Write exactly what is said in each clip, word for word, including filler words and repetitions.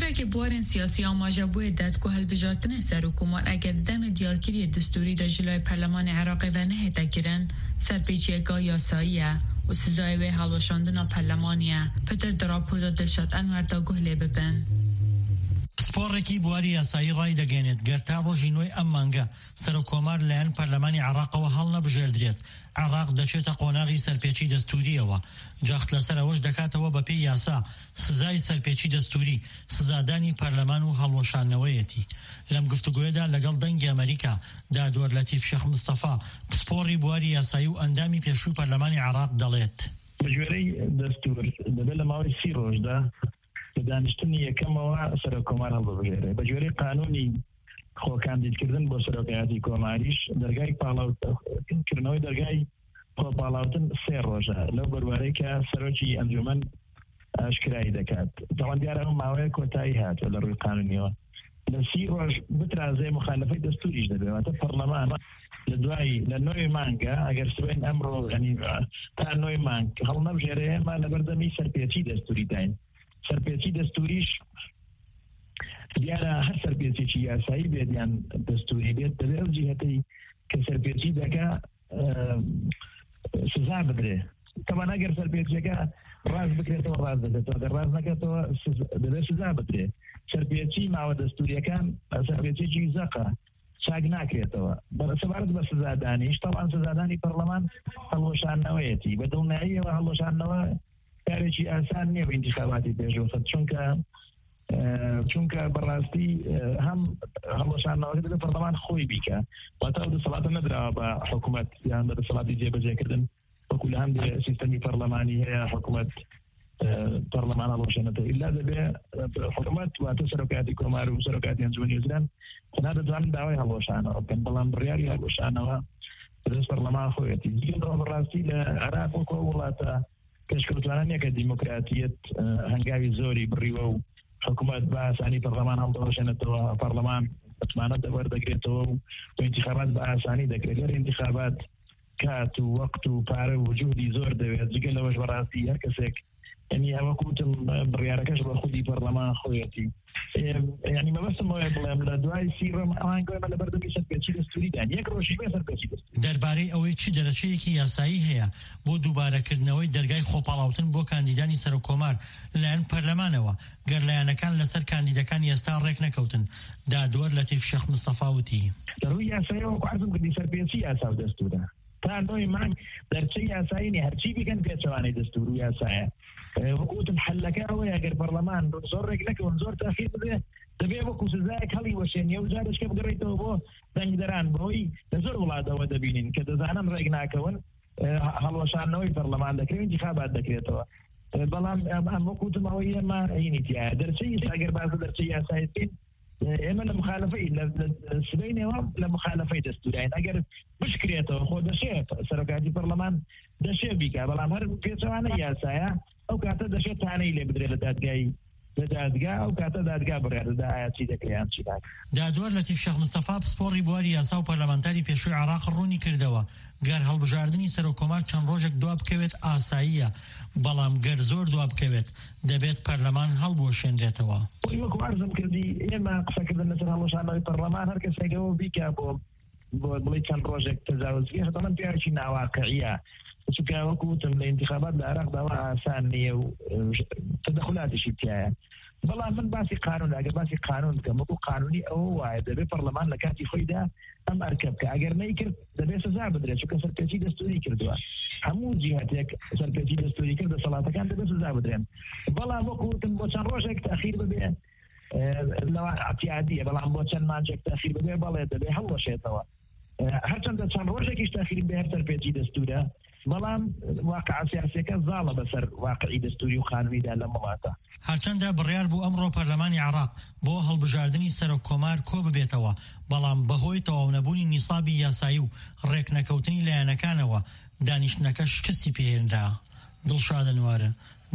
Yekê bi warên siyasî amaje bûye ded ku hilbijartinê serokkomar eger di demê diyarkiriyê destûrî de ji layê Perlemanê Iraqê ve nehête kirin, serpêçiyeke yasayî ye û sizayê wê helweşandina perlemanî ye. Pitir di raporda Dilşad Enwer de guh lê bibin. Pisporekî bi warî yasayî rayî degênêt, ger ta rojî nûyê em mange serokkomar li layen Perlemanî Iraqewe helnebijêrdrêt, Iraq deçête qonaxî serpêçî destûrî ye. Caxt lەسەر ئەوەش دەکاتەوە بە پێی یاسا سزای سەرپێچی دەستووری، سزادانی پەرلەمان و هەڵوەشانەوەیەتی. لەم گفتوگۆیەدا لەگەڵ دەنگی ئەمریکا، دادوەر لەتیف شێخ مستەفا، پسپۆڕی بواری یاسایی و ئەندامی پێشووی پەرلەمانی عێراق دەڵێت. بە گوێرەی دەستوور، دەبێت لە ماوەی سی ڕۆژدا لە دانیشتنی یەکەمەوە سەرۆککۆمار هەڵببژێرێت. بە گوێرەی قانونی خۆکاندیدکردن بۆ سەرۆکایەتی کۆماریش، دەرگای پاڵاوتن، کردنەوەی دەرگای خۆپاڵاوتن سێ ڕۆژە لەو بەروارەی کە سەرۆکی ئەنجومەن ئاشکرای دەکات. تەوان دیارە ئەو ماوەیە کۆتایی هاتووە لە ڕووی قانونیەوە. لە سی ڕۆژ بترازێ مخالفەی دەستوریش دەبێت. واتە پەرلەمان لە دوای، لە نۆی مانگە، ئەگەر سبەین ئەمڕۆ، یعنی، تا نۆی مانگ هەڵنەبژێرێ، ئێمە لە بەردەمی سەرپێچی دەستوری داین. سەرپێچی دەستوریش دیارە هەر سەرپێچێکی یاسایی بێت یان دەستوری بێت، دەبێت ئەو جیهەتەی کە سەرپێچی دەکا، ئە، سزا بدرێ. تەبەن ئەگەر سەرپێچیەکە ڕاست بکرێتەوە، ڕاست دەکرێتەوە، ئەگەر ڕاست نەکرێتەوە، سز-، دەبێت سزا بدرێ. سەرپێچی ماوە دەستوریەکان، سەرپێچێکی زەقە، چاک ناکرێتەوە. بە-، سەبارەت بە سزادانیش، تەبەن سزادانی پەرلەمان هەڵوەشانەوەیەتی. بە دڵنیاییەوە هەڵوەشانەوە کارێکی ئاسان نییە بە ئینتیخاباتی پێشوەخت، چونکە، ئە، چونکە بەڕاستی، ئە، هەم هەڵوەشانەوەکە دەبێت پەرلەمان خۆی بیکە، واتە ئەو دەسەڵاتە نەدراوە بە حکوومەت یان بە دەسەڵاتی جێبەجێکردن، وەکو لە هەندێک سیستەمی پەرلەمانی هەیە حکوومەت، ئە، پەرلەمان هەڵوەشێنێتەوە. ئیلا دەبێ، ئە، حکوومەت، واتە سەرۆکایەتی کۆمار و سەرۆکایەتی ئەنجومەنی وەزیران، تەنها دەتوانن داوای هەڵوەشانەوە بکەن، بەڵام بڕیاری هەڵوەشانەوە بەدەست پەرلەمان خۆیەتی. جگە لەوە بەڕاستی لە عێراق وەکو ئەو وڵاتە پێشکەوتوانە نییە کە دیموکراتیەت، ئە، هەنگاوی زۆری بڕیوە و حکوومەت بە ئاسانی پەرلەمان هەڵدەوەشێنێتەوە، پەرلەمان متمانەت دەوەردەگرێتەوە و، و ئینتیخابات بە ئاسانی دەکرێت. لەر ئینتیخابات کات و وەقت و پارە و جوهدی زۆر دەوێت. جگە لەوەش بەڕاستی هەر کەسێک، یعنی، ئەوە کوتم، بڕیارەکەش بە خودی پەرلەمان خۆیەتی. ئێ، یعنی، مەبەستم ئەوەیە بڵێم، لە دوای سی ڕۆژ ئەوان گوێمە لە بەردەمی سەرپێچی دەستوری دان. یەک ڕۆژی بێ سەرپێچی دەستوری. دەربارەی ئەوەی چی دەرەچەیەکی یاسایی هەیە بۆ دووبارەکردنەوەی دەرگای خۆپاڵاوتن بۆ کاندیدانی سەرۆکۆمار لەلایەن پەرلەمانەوە، گەر لایەنەکان لەسەر کاندیدەکانی ئێستا ڕێک نەکەوتن، دادوەر لەتیف شێخ مستەفا وتی. لە ڕووی یاساییەوە وەکو عەرزم کردی سەرپێچی یاسا و دەستورە. تا نۆی مانگ دەرچەی یاسایی نیە، هەرچی بکەن پێچەوانەی دەستور و یاسایە. ئە، وەکو وتم، حەلەکە ئەوەیە، ئەگەر پەرلەمان زۆر ڕێک نەکەون، زۆر تاخیر ببێ، دەبێ وەکو سزایەک هەڵی وەشێنیە و جارێکە بگەڕێتەوە بۆ دەنگدەران، بەوەی لە زۆر وڵاتەوە دەبینین کە دەزانن ڕێک ناکەون، ئە، هەڵوەشاندنەوەی پەرلەمان دەکرێت، ئینتیخابات دەکرێتەوە. ئە، بەڵام ئەم، ئەم وەکو وتم، ئەوەی ئێمە هینی تایە. دەرچەی ئێستا، ئەگەر باز لە دەرچەی یاسایەت بین، ئێمە لە مخالفەی، لە، لە، سبەینێوە لە مخالفەی دەستوورین. ئەگەر بشکرێتەوە، خۆ دەشێت سەرۆکاتی پەرلەمان دەشێ بیکا، بەڵام هەر پێچەوانە یاسایە، ئەو کاتە دەشێت تانەی لێ بدرێت لە دادگای، لە دادگا، ئەو کاتە دادگا بڕیار دەدا ئایا چی دەکرێت یان چی ناکرێت. دادوەر لەتیف شێخ مستەفا، پسپۆڕی بواری یاسا و پەرلەمانتاری پێشووی عێراق، ڕوونی کردەوە، گەر هەڵبژاردنی سەرۆکۆمار چەند ڕۆژێک دوا بکەوێت، ئاساییە، بەڵام گەر زۆر دوا بکەوێت، دەبێت پەرلەمان هەڵبوەشێنرێتەوە. وەکو عەرزم کردی، ئێمە قسەکردن لەسەر هەڵوەشانەوەی پەرلەمان، هەر کەسێک ئەوە بیکا بۆ، بۆ بڵێ چەند ڕۆژێک تەجاوزگەی، هەتا من پیاوێکی ناواقعیە. چونکە وەکو وتم، لە ئینتیخابات لە عێراق داوا ئاسان نییە و، ئە، تەدەخولاتیشی تایە. بەڵام من باسی قانون، ئەگەر باسی قانون بکەم، وەکو قانونی ئەوە وایە، دەبێت پەرلەمان لە کاتی خۆیدا ئەم ئەرکە بکە. ئەگەر نەیکرد، دەبێت سزا بدرێت، چونکە سەرپێچی دەستوری کردووە. هەموو جیهەتێک سەرپێچی دەستوری کرد، دەسەڵاتەکان دەبێت سزا بدرێن. بەڵام وەکو وتم، بۆ چەند ڕۆژێک تاخیر ببێ، ئە، لەوە ئەتیادیە، بەڵام بۆ چەند مانجێک تاخیر ببێ، بەڵێ دەبێ هەڵوەشێتەوە. ئە، هەرچەندە چەند ڕۆژێکیش تاخیر بێ، هەر سەرپێچی دەستورە، بەڵام واقع سیاسیەکە زاڵە بەسەر واقعی دەستوری و قانونیدا لەم وڵاتە. هەرچەندە بڕیار بوو ئەمڕۆ پەرلەمانی عێراق بۆ هەڵبژاردنی سەرۆک کۆمار کۆ ببێتەوە، بەڵام بەهۆی تەواونەبوونی نیسابی یاسایی و ڕێکنەکەوتنی لایەنەکانەوە، دانیشتنەکە شکستی پێهێنرا. دڵشاد ئەنوەر،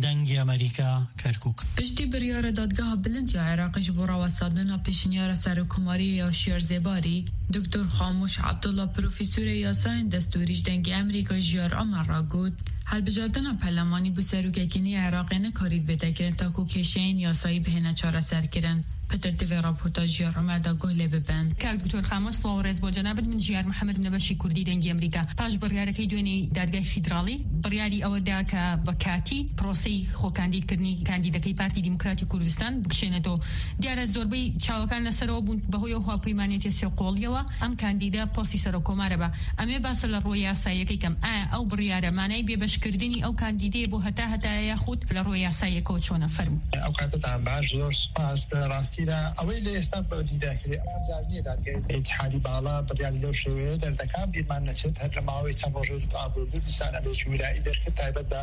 دەنگی ئەمریکا، کەرکووک. Piştî biryara Dadgeha Bilind ya Iraqê ji bo rawestandina pêşniyara Serokkomariyê ya Şiyar Zêbarî, Doktor Xamûş Abdullah, profesorê yasayên destûrî ji Dengê Emerîka Jiyar Omer re got, Hilbijartina perlemanî bi serokekî nî Iraqê nikarî bête kirin, ta ku kêşeyên yasayî bihêne çareserkirin. Pitir divê raportajiya Omer da guh lê bibin. Kak Doktor Xamos, سڵاو و ڕێز بۆ جەنابت. من ژیار محەممەد، منە بەشی کوردی دەنگی ئەمریکا. پاش بڕیارەکەی دوێنێی دادگای فیدراڵی، بڕیاری ئەوە دا کە بە کاتی پرۆسەی خۆکاندیدکردنی کاندیدەکەی پارتی دیموکراتی کوردستان بکشێنێتەوە. دیارە زۆربەی چاوەکان لەسەرەوە بوون بەهۆی ئەو هاوپەیمانێتی سێ قۆڵیەوە ئەم کاندیدە پۆستی سەرۆکۆمارە بە. ئەمێ باسە لە ڕووی یاساییەکەی کەم. ئایا ئەو بڕیارە مانای بێبەشکردنی ئەو کاندیدەیە بۆ هەتا هەتایە، یاخود لە ڕووی یاساییەکەوە چۆنە؟ فەرموو. ئەو کاتتان باش، زۆر سپاس. لە ڕاستیدا ئەوەی لە ئێستا بە دیداکرێ، ئەم جار نییە دادگای ئیتیحادی باڵا بڕیاری لەو شێوەیە دەردەکات. بیرمان نەچێت، هەر لە ماوەی چەند ڕۆژێ ئابووردوو دیسان ئەمرێکی ویلایی دەرکرد، تایبەت بە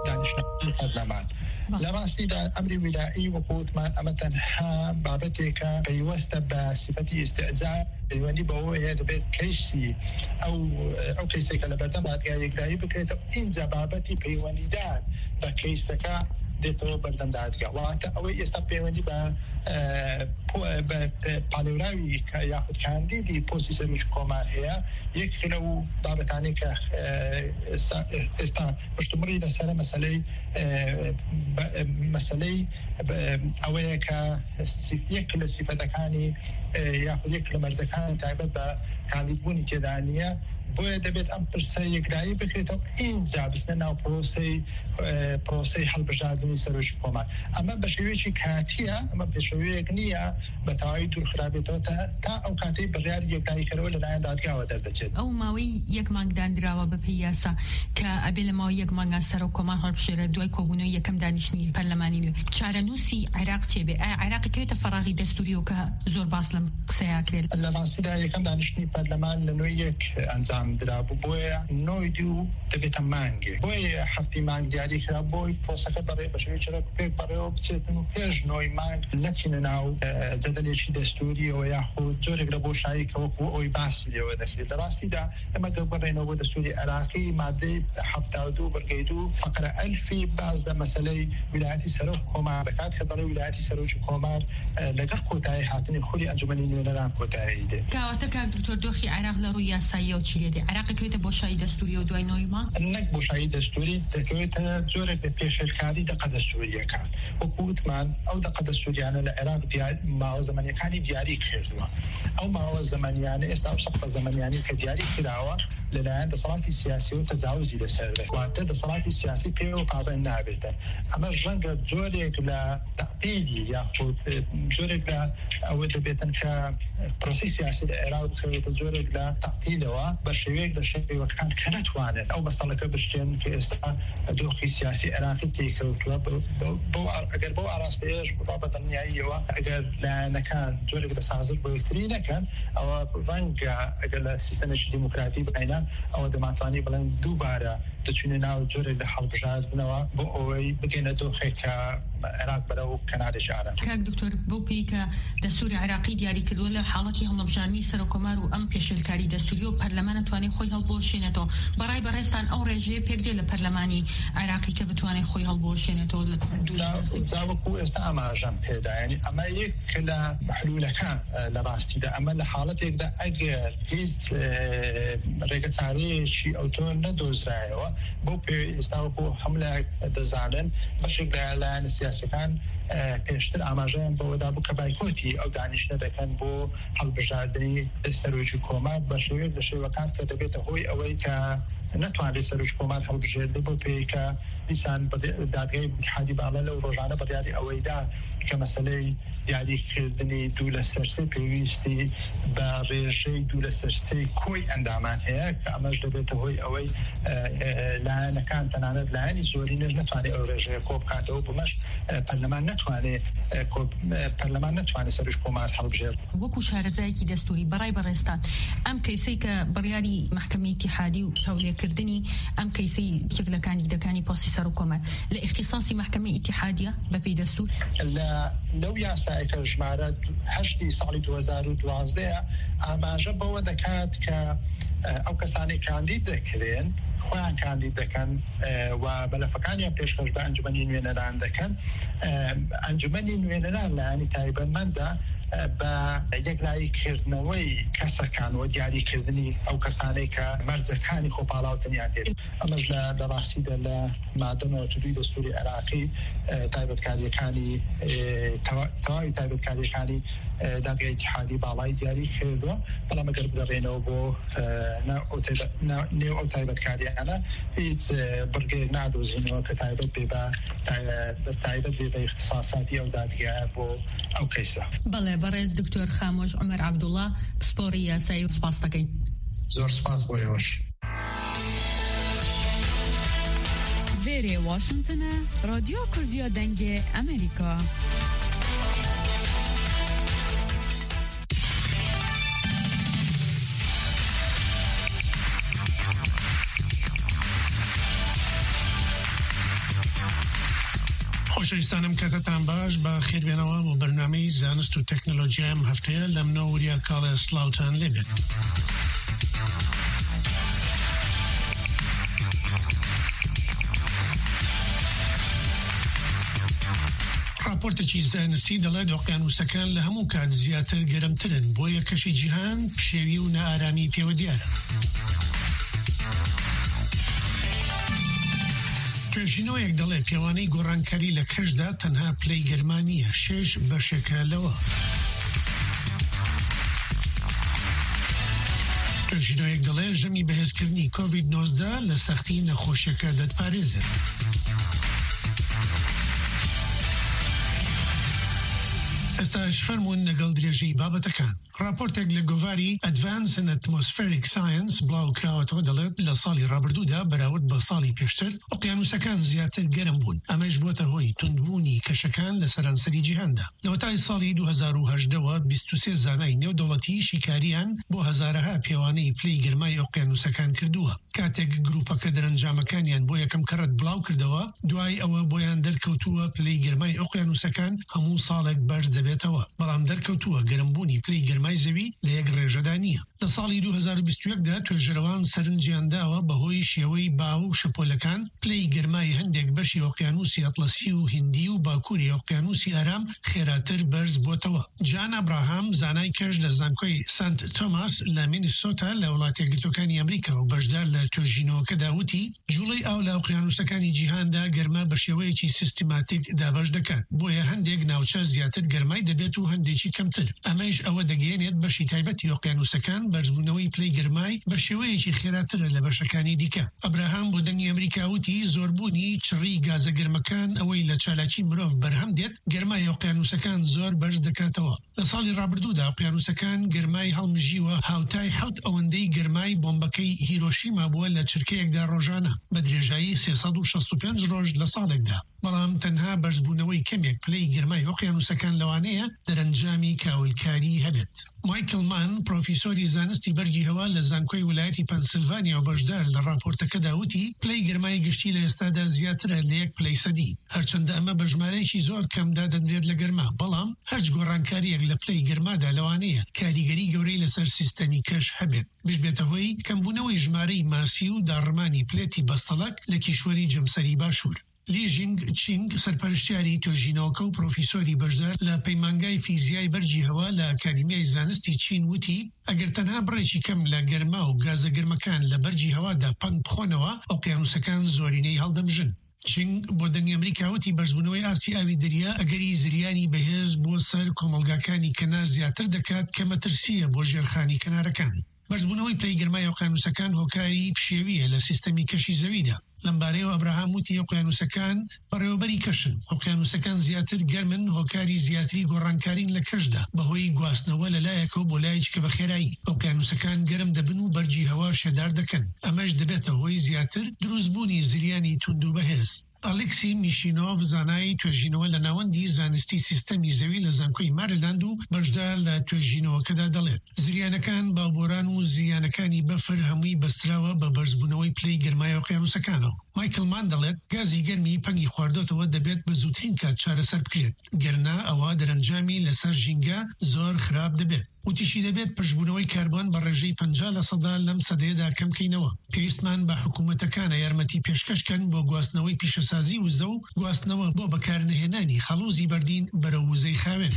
دانیشتنەکانی پەرلەمان. بەڵێ. لە ڕاستیدا ئەمری ویلایی، وەکو وتمان، ئەمە تەنها بابەتێکە پەیوەستە بە سیفەتی ئیستیعجال، پەیوەندی بەوە هەیە دەبێت کەیسی ئەو، ئەو کەیسێکە لە بەردەم دادگای یەکلایی بکرێتەوە، اینجا بابەتی پەیوەندیدار بە کەیسەکە دێتەوە بەردەم دادگا. واتە ئەوەی ئێستا پەیوەندی بە، ئە، پۆ-، بە، بە پالێوراوی کە یاخود کاندیدی پۆستی سەرۆکی کۆمار هەیە، یەک لەو بابەتانەی کە، ئە، ئێستا، ئێستا پشتمڕی لەسەرە مەسەلەی، ئە، بە-، مەسەلەی، بە-، ئەوەیە کە سی-، یەک لە سیفەتەکانی، ئە، یاخود یەک لە مەرزەکانی تایبەت بە کاندیدبوونی تێدا نییە. بۆیە دەبێت ئەم پرسە یەکلایی بکرێتەوە، ئینجا بچنە ناو پرۆسەی، ئە، پرۆسەی هەڵبژاردنی سەرۆکی کۆمار. ئەمە بە شێوەیەکی کاتییە، ئەمە پێشەوەیەک نییە بە تەواوی دوور خرابێتەوە تا، تا ئەو کاتەی بڕیاری یەکلاییکەرەوە لەلایەن دادگاوە دەردەچێت. ئەو ماوەی یەک مانگ دانراوە بە پێی یاسا کە ئەبێ لە ماوەی یەک مانگە سەرۆک کۆمار هەڵبژێرێت دوای کۆبوونەوەی یەکەم دانیشتنی پەرلەمانی نوێ. چارەنووسی عێراق چێ بێ؟ ئایا عێراق کەوێتە فەراغی دەستووریەوە کە زۆر باس لەم قسەیە کرێت؟ لە ڕاستیدا یەکەم دانیشتنی پەرلەمان لە نۆی یەک ئەنجام درابوو، بۆیە نۆی دوو دەبێتە مانگێ. بۆیە هەفتی مانگ دیاری کرا بۆی پرۆسەکە بەڕێ بە شێوەی چرەک پێک بەڕێوە بچێتن و پێش نۆی مانگ نەچینە ناو، ئە، جەدەلێکی دەستووریەوە یاخود جۆرێک لە بۆشایی کە وەکو ئەوی باسی لێوە دەکرێت. لە ڕاستیدا ئێمە گەر بگەڕێینەوە بۆ دەستووری عێراقی، مادەی حەفتا و دوو بڕگەی دوو فەقرە ئەلفی باز لە مەسەلەی ویلایەتی سەرۆک کۆمار دەکات کە دەڵێ ویلایەتی سەرۆکی کۆمار، ئە، لەگەڵ کۆتایی هاتنی خولی ئەنجومەنی نوێنەران کۆتایی دێت. کەواتە کاک دکتۆر، دۆخی عێراق لە ڕووی یاساییەوە چی لێ دێ؟ عێراق کەوێتە بۆشایی دەستووریەوە دوای نۆی مانگ؟ نەک بۆشایی دەستووری، دەکەوێتە جۆرێک لە پێشێلکاری دەقە دەستووریەکان. وەکو وتمان، ئەو دەقە دەستووریانە لە عێراق دیار-، ماوە زەمەنیەکانی دیاری کردووە. ئەو ماوە زەمەنیانە ئێستا ئەو سەقفە زەمەنیانی کە دیاری کراوە لەلایەن دەسەڵاتی سیاسیەوە تەجاوزی لەسەر دەکات. واتە دەسەڵاتی سیاسی پێوە پابەند نابێتە. ئەمە ڕەنگە جۆرێک لە تەعتیلی یاخود، ئە، جۆرێک لە ئەوە دەبێتن کە پرۆسی سیاسی لە عێراق بخەوێتە جۆرێک لە تەعتیلەوە بە شێوەیەک لە شێوەکان کە نەتوانن ئەو مەسەلەکە بشتێن کە ئێستا دۆخی سیاسی عێراقی تێکەوتووە. بە-، بە-، بەو ئا-، ئەگەر بەو ئاراستەیەش بڕا بە دڵنیاییەوە، ئەگەر لایەنەکان جۆرێک لە سازش بۆ یەکتری نەکەن، ئەوە ڕەنگە ئەگەر لە سیستەمێکی دیموکراتی بینە، ئەوە دەمانتوانی بڵێن دووبارە دەچوینە ناو جۆرێک لە هەڵبژاردنەوە بۆ ئەوەی بگەینە دۆخێک کە عێراق بەرەو کەنارێکی ئارام. کاک دکتۆر، بەو پێی کە دەستووری عێراقی دیاری کردووە لە حاڵەتی هەڵبژاردنی سەرۆکۆمار و ئەم پێشێلکاری دەستووری و پەرلەمان نەتوانێت خۆی هەڵبۆشێنێتەوە، بەڕای بەڕێستان ئەو ڕێژەیە پێک دێ لە پەرلەمانی عێراقی کە بتوانێت خۆی هەڵبۆشێنێتەوە لە دوو جا-، جا وەکو ئێستا ئاماژەم پێدا، یعنی ئەمە یەک لە محلولەکان، ئە، لە ڕاستیدا ئەمە لە حاڵەتێکدا ئەگەر هیچ، ئە، ڕێگە چارەیەکی ئەوتۆ نەدۆزرایەوە، بەو پێ ئێستا وەکو هەموو لایەک دەزانن، بەشێک لە لایەنە سیاسیەکان، ئە، پێشتر ئاماژەیان بەوەدا بوو کە بایکۆتی ئەو دانیشتە دەکەن بۆ هەڵبژاردنی سەرۆکی کۆمار بە شێوەیەک لە شێوەکان کە دەبێتە هۆی ئەوەی کە نەتوانرێت سەرۆکی کۆمار هەڵبژێردێ، بۆ پێی کە دیسان بەدێ-، دادگای ئیتیحادی باڵا لەو ڕۆژانە بڕیاری ئەوەیدا کە مەسەلەی دیاریکردنی دوو لە سەرسێ پێویستی بە ڕێژەی دوو لە سەرسێی کۆی ئەندامان هەیە، کە ئەمەش دەبێتە هۆی ئەوەی، ئە، ئە، لایەنەکان، تەنانەت لایەنی زۆرینەش نەتوانێت ئەو ڕێژەیە کۆ بکاتەوە، بمەش، ئە، پەرلەمان نەتوانێت، ئە، کۆ-، ئە، پەرلەمان نەتوانێت سەرۆکی کۆمار هەڵبژێرێت. وەکو شارەزایەکی دەستووری، بەڕای بەڕێستان، ئەم کەیسەی کە بڕیاری مەحکەمەی ئیتیحادی و چاولێکردنی ئەم کەیسەی یەک لە کاندیدەکانی پۆستی سەرۆک کۆمار لە ئیختیساسی مەحکەمەی ئیتیحادیە بە پێی دەستوور؟ لە، لەو یاسایە کە ژمارە هەشتی ساڵی دوو هەزار و دوازدە ئاماژە بەوە دەکات کە، ئە، ئەو کەسانەی کاندید دەکرێن، خۆیان کاندید دەکەن، ئە، و مەلەفەکانیان پێشکەش بە ئەنجومەنی نوێنەران دەکەن. ئە، ئەنجومەنی نوێنەران لایەنی تایبەتمەندە، ئە، بە یەکلاییکردنەوەی کەسەکان و دیاریکردنی ئەو کەسانەی کە مەرجەکانی خۆپاڵاوتنیان دێت. ئەمەش لە، لە ڕاستیدا لە مادە نەوەد و دوو دەستوری عێراقی، ئە، تایبەتکاریەکانی، ئە، تەوا-، تەواوی تایبەتکاریەکانی، ئە، دادگای اتحادی باڵای دیاری کردووە. بەڵام ئەگەر بگەڕێنەوە بۆ، ئە، نا-، ئەو تایبەت-، نا-، نێو ئەو تایبەتکاریانە، هیچ، ئە، بڕگەیەک نادۆزینەوە کە تایبەت بێ بە، تای-، تایبەت بێ بە اختصاصاتی ئەو دادگایە بۆ ئەو کەیسە. بەڵێ، بەڕێز دکتۆر خامۆش عومەر عەبدوڵا، پسپۆڕی یاسایی، سپاس دەکەین. زۆر سپاس بۆ ئێوەش. Vêrê Washington e, Radyo Kurdiya Dengê Amerîka. خۆشەویستانم، کاتتان باش، بە خێربێنەوە بۆ بەرنامەی زانست و تەکنەلۆژیای ئەم هەفتەیە لەم نۆ وریا کاڵێ سڵاوتان لێبێت. راپۆرتێکی زانستی دەڵێت ئۆقیانوسەکان لە هەموو کات زیاتر گەرمترن، بۆیە کەشی جیهان پشێوی و نائارامی پێوە دیارە. توێژینەوەیەک دەڵێ پێوانەی گۆڕانکاری لە کەشدا تەنها پلەی گەرما نییە، شێش بەشێکە لەوە. توێژینەوەیەک دەڵێ ژەمی بەهێزکردنی کۆڤید نۆزدە لە سەختی نەخۆشیەکە دەتپارێزێت. ئێستاش فەرموون لەگەڵ درێژەی بابەتەکان. راپۆرتێک لە گۆڤاری Advance in Atmospheric Science بڵاو کراوەتەوە، دەڵێت لە ساڵی ڕابردوودا بەراورد بە ساڵی پێشتر ئۆقیانوسەکان زیاتر گەرم بوون. ئەمەش بووەتە هۆی توندبوونی کەشەکان لە سەرانسەری جیهاندا. لە وەتای ساڵی دوو هەزار و هەژدەوە بیست و سێ زانای نێودەوڵەتی شیکاریان بۆ هەزارەها پێوانەی پلەی گەرمای ئۆقیانوسەکان کردووە. کاتێک گروپەکە دەرەنجامەکانیان بۆ یەکەم کەڕەت بڵاو کردەوە، دوای ئەوە بۆیان دەرکەوتووە پلەی گەرمای ئۆقیانوسەکان هەموو ساڵێک بەرز دەبێتەوە، بەڵام دەرکەوتووە گەرمبوونی پلەی گەرمای زەوی لە یەک ڕێژەدا نییە. لە ساڵی دوو هەزار و بیست و یەک دا توێژەرەوان سەرنجیان داوە بەهۆی شێوەی باو و شەپۆلەکان، پلەی گەرمای هەندێک بەشی ئۆقیانوسی ئەتڵەسی و هیندی و باکووری ئۆقیانوسی ئارام خێراتر بەرز بۆتەوە. جان ئەبراهام، زانای کەش لە زانکۆی سانت تۆماس لە مینیسۆتا لە وڵاتە یەکگرتوەکانی ئەمریکا و بەشدار لە توێژینەوەکەدا، وتی، جوڵەی ئاو لە ئۆقیانوسەکانی جیهاندا گەرما بە شێوەیەکی سیستماتیک دابەش دەکات، بۆیە هەندێک ناوچە زیاتر گەرمای دەبێت و هەندێکی کەمتر. ئەمەش ئەوە دەگەیەنێت بەشی تایبەتی ئۆقیانوسەکان بەرزبوونەوەی پلەی گەرمای بە شێوەیەکی خێراترە لە بەشەکانی دیکە. ئەبراهام بۆ دەنگی ئەمریکا وتی، زۆربوونی چڕی گازە گەرمەکان ئەوەی لە چالاکی مرۆڤ بەرهەم دێت، گەرمای ئۆقیانوسەکان زۆر بەرز دەکاتەوە. لە ساڵی ڕابردوودا ئۆقیانوسەکان گەرمای هەڵمژیوە، هاوتای حەوت ئەوەندەی گەرمای بۆمبەکەی هیرۆشیما بووە لە چرکەیەکدا ڕۆژانە، بە درێژایی سێ سەد و شەست و پێنج ڕۆژ لە ساڵێکدا. بەڵام تەنها بەرزبوونەوەی کەمێک پلەی گەرمای ئۆقیانوسەکان لەوانەیە دەرەنجامی کاولکاری هەبێت. مایکل مان، پرۆفیسۆری زانستی بەرگی هەوا لە زانکۆی ویلایەتی پەنسیلڤانیا و بەشدار لە ڕاپۆرتەکەدا، وتی، پلەی گەرمای گشتی لە ئێستادا زیاترە لە یەک پلەی سەدی. هەرچەندە ئەمە بە ژمارەیەکی زۆر کەم دادەنرێت لە گەرما، بەڵام هەرچ گۆڕانکاریەک لە پلەی گەرمادا لەوانەیە کاریگەری گەورەی لەسەر سیستەمی کەش هەبێت، بشبێتە هۆی کەمبوونەوەی ژمارەی ماسی و داڕمانی پلێتی بەستەڵەک لە کیشوەری جەمسەری باشوور. لی ژینگ چینگ، سەرپەرشتیاری توێژینەوەکە و پرۆفیسۆری بەشدار لە پەیمانگای فیزیای بەرگی هەوا لە ئەکادیمیای زانستی چین، وتی، ئەگەر تەنها بڕێکی کەم لە گەرما و گازە گەرمەکان لە بەرگی هەوادا پەنگ بخۆنەوە، ئۆقیانوسەکان زۆرینەی هەڵدەمژن. چینگ بۆ دەنگی ئەمریکا وتی، بەرزبوونەوەی ئاستی ئاوی دەریا ئەگەری زریانی بەهێز بۆ سەر کۆمەڵگاکانی کەنار زیاتر دەکات، کە مەترسیە بۆ ژێرخانی کەنارەکان. بەرزبوونەوەی پلەی گەرمای ئۆقیانوسەکان هۆکاری پشێویە لە سیستەمی کەشی زەویدا. لەمبارەیەوە ئەبراهام وتی، ئۆقیانوسەکان بەڕێوەبەری کەشن. ئۆقیانوسەکان زیاتر گەرمن، هۆکاری زیاتری گۆڕانکارین لە کەشدا، بەهۆی گواستنەوە لە لایەکەوە بۆ لایەکی کە بە خێرایی. ئۆقیانوسەکان گەرم دەبن و بەرگی هەوا شێدار دەکەن. ئەمەش دەبێتە هۆی زیاتر دروستبوونی زریانی توند و بەهێز. ئەلیکسی میشینۆڤ، زانای توێژینەوە لە ناوەندی زانستی سیستەمی زەوی لە زانکۆی ماریلاند و بەشدار لە توێژینەوەکەدا، دەڵێت، زریانەکان، باوبۆران و زریانەکانی بەفر هەمووی بەستراوە بە بەرزبوونەوەی پلەی گەرمای ئۆقیانوسەکانەوە. مایکل مان دەڵێت، گازی گەرمی پەنگی خواردۆتەوە، دەبێت بە زووترین کات چارەسەر بکرێت، گەرنا ئەوە دەرەنجامی لەسەر ژینگە زۆر خراپ دەبێت. وتیشی دەبێت پشتبوونەوەی کاربۆن بە ڕێژەی پەنجا لە سەدا لەم سەدەیەدا کەم کەینەوە. پێویستمان بە حکوومەتەکانە یارمەتی پێشکەش کەن بۆ گواستنەوەی پیشەسازی وزە و گواستنەوە بۆ بەکارنەهێنانی خەڵوزی بەردین بەرەو وزەی خاوێن.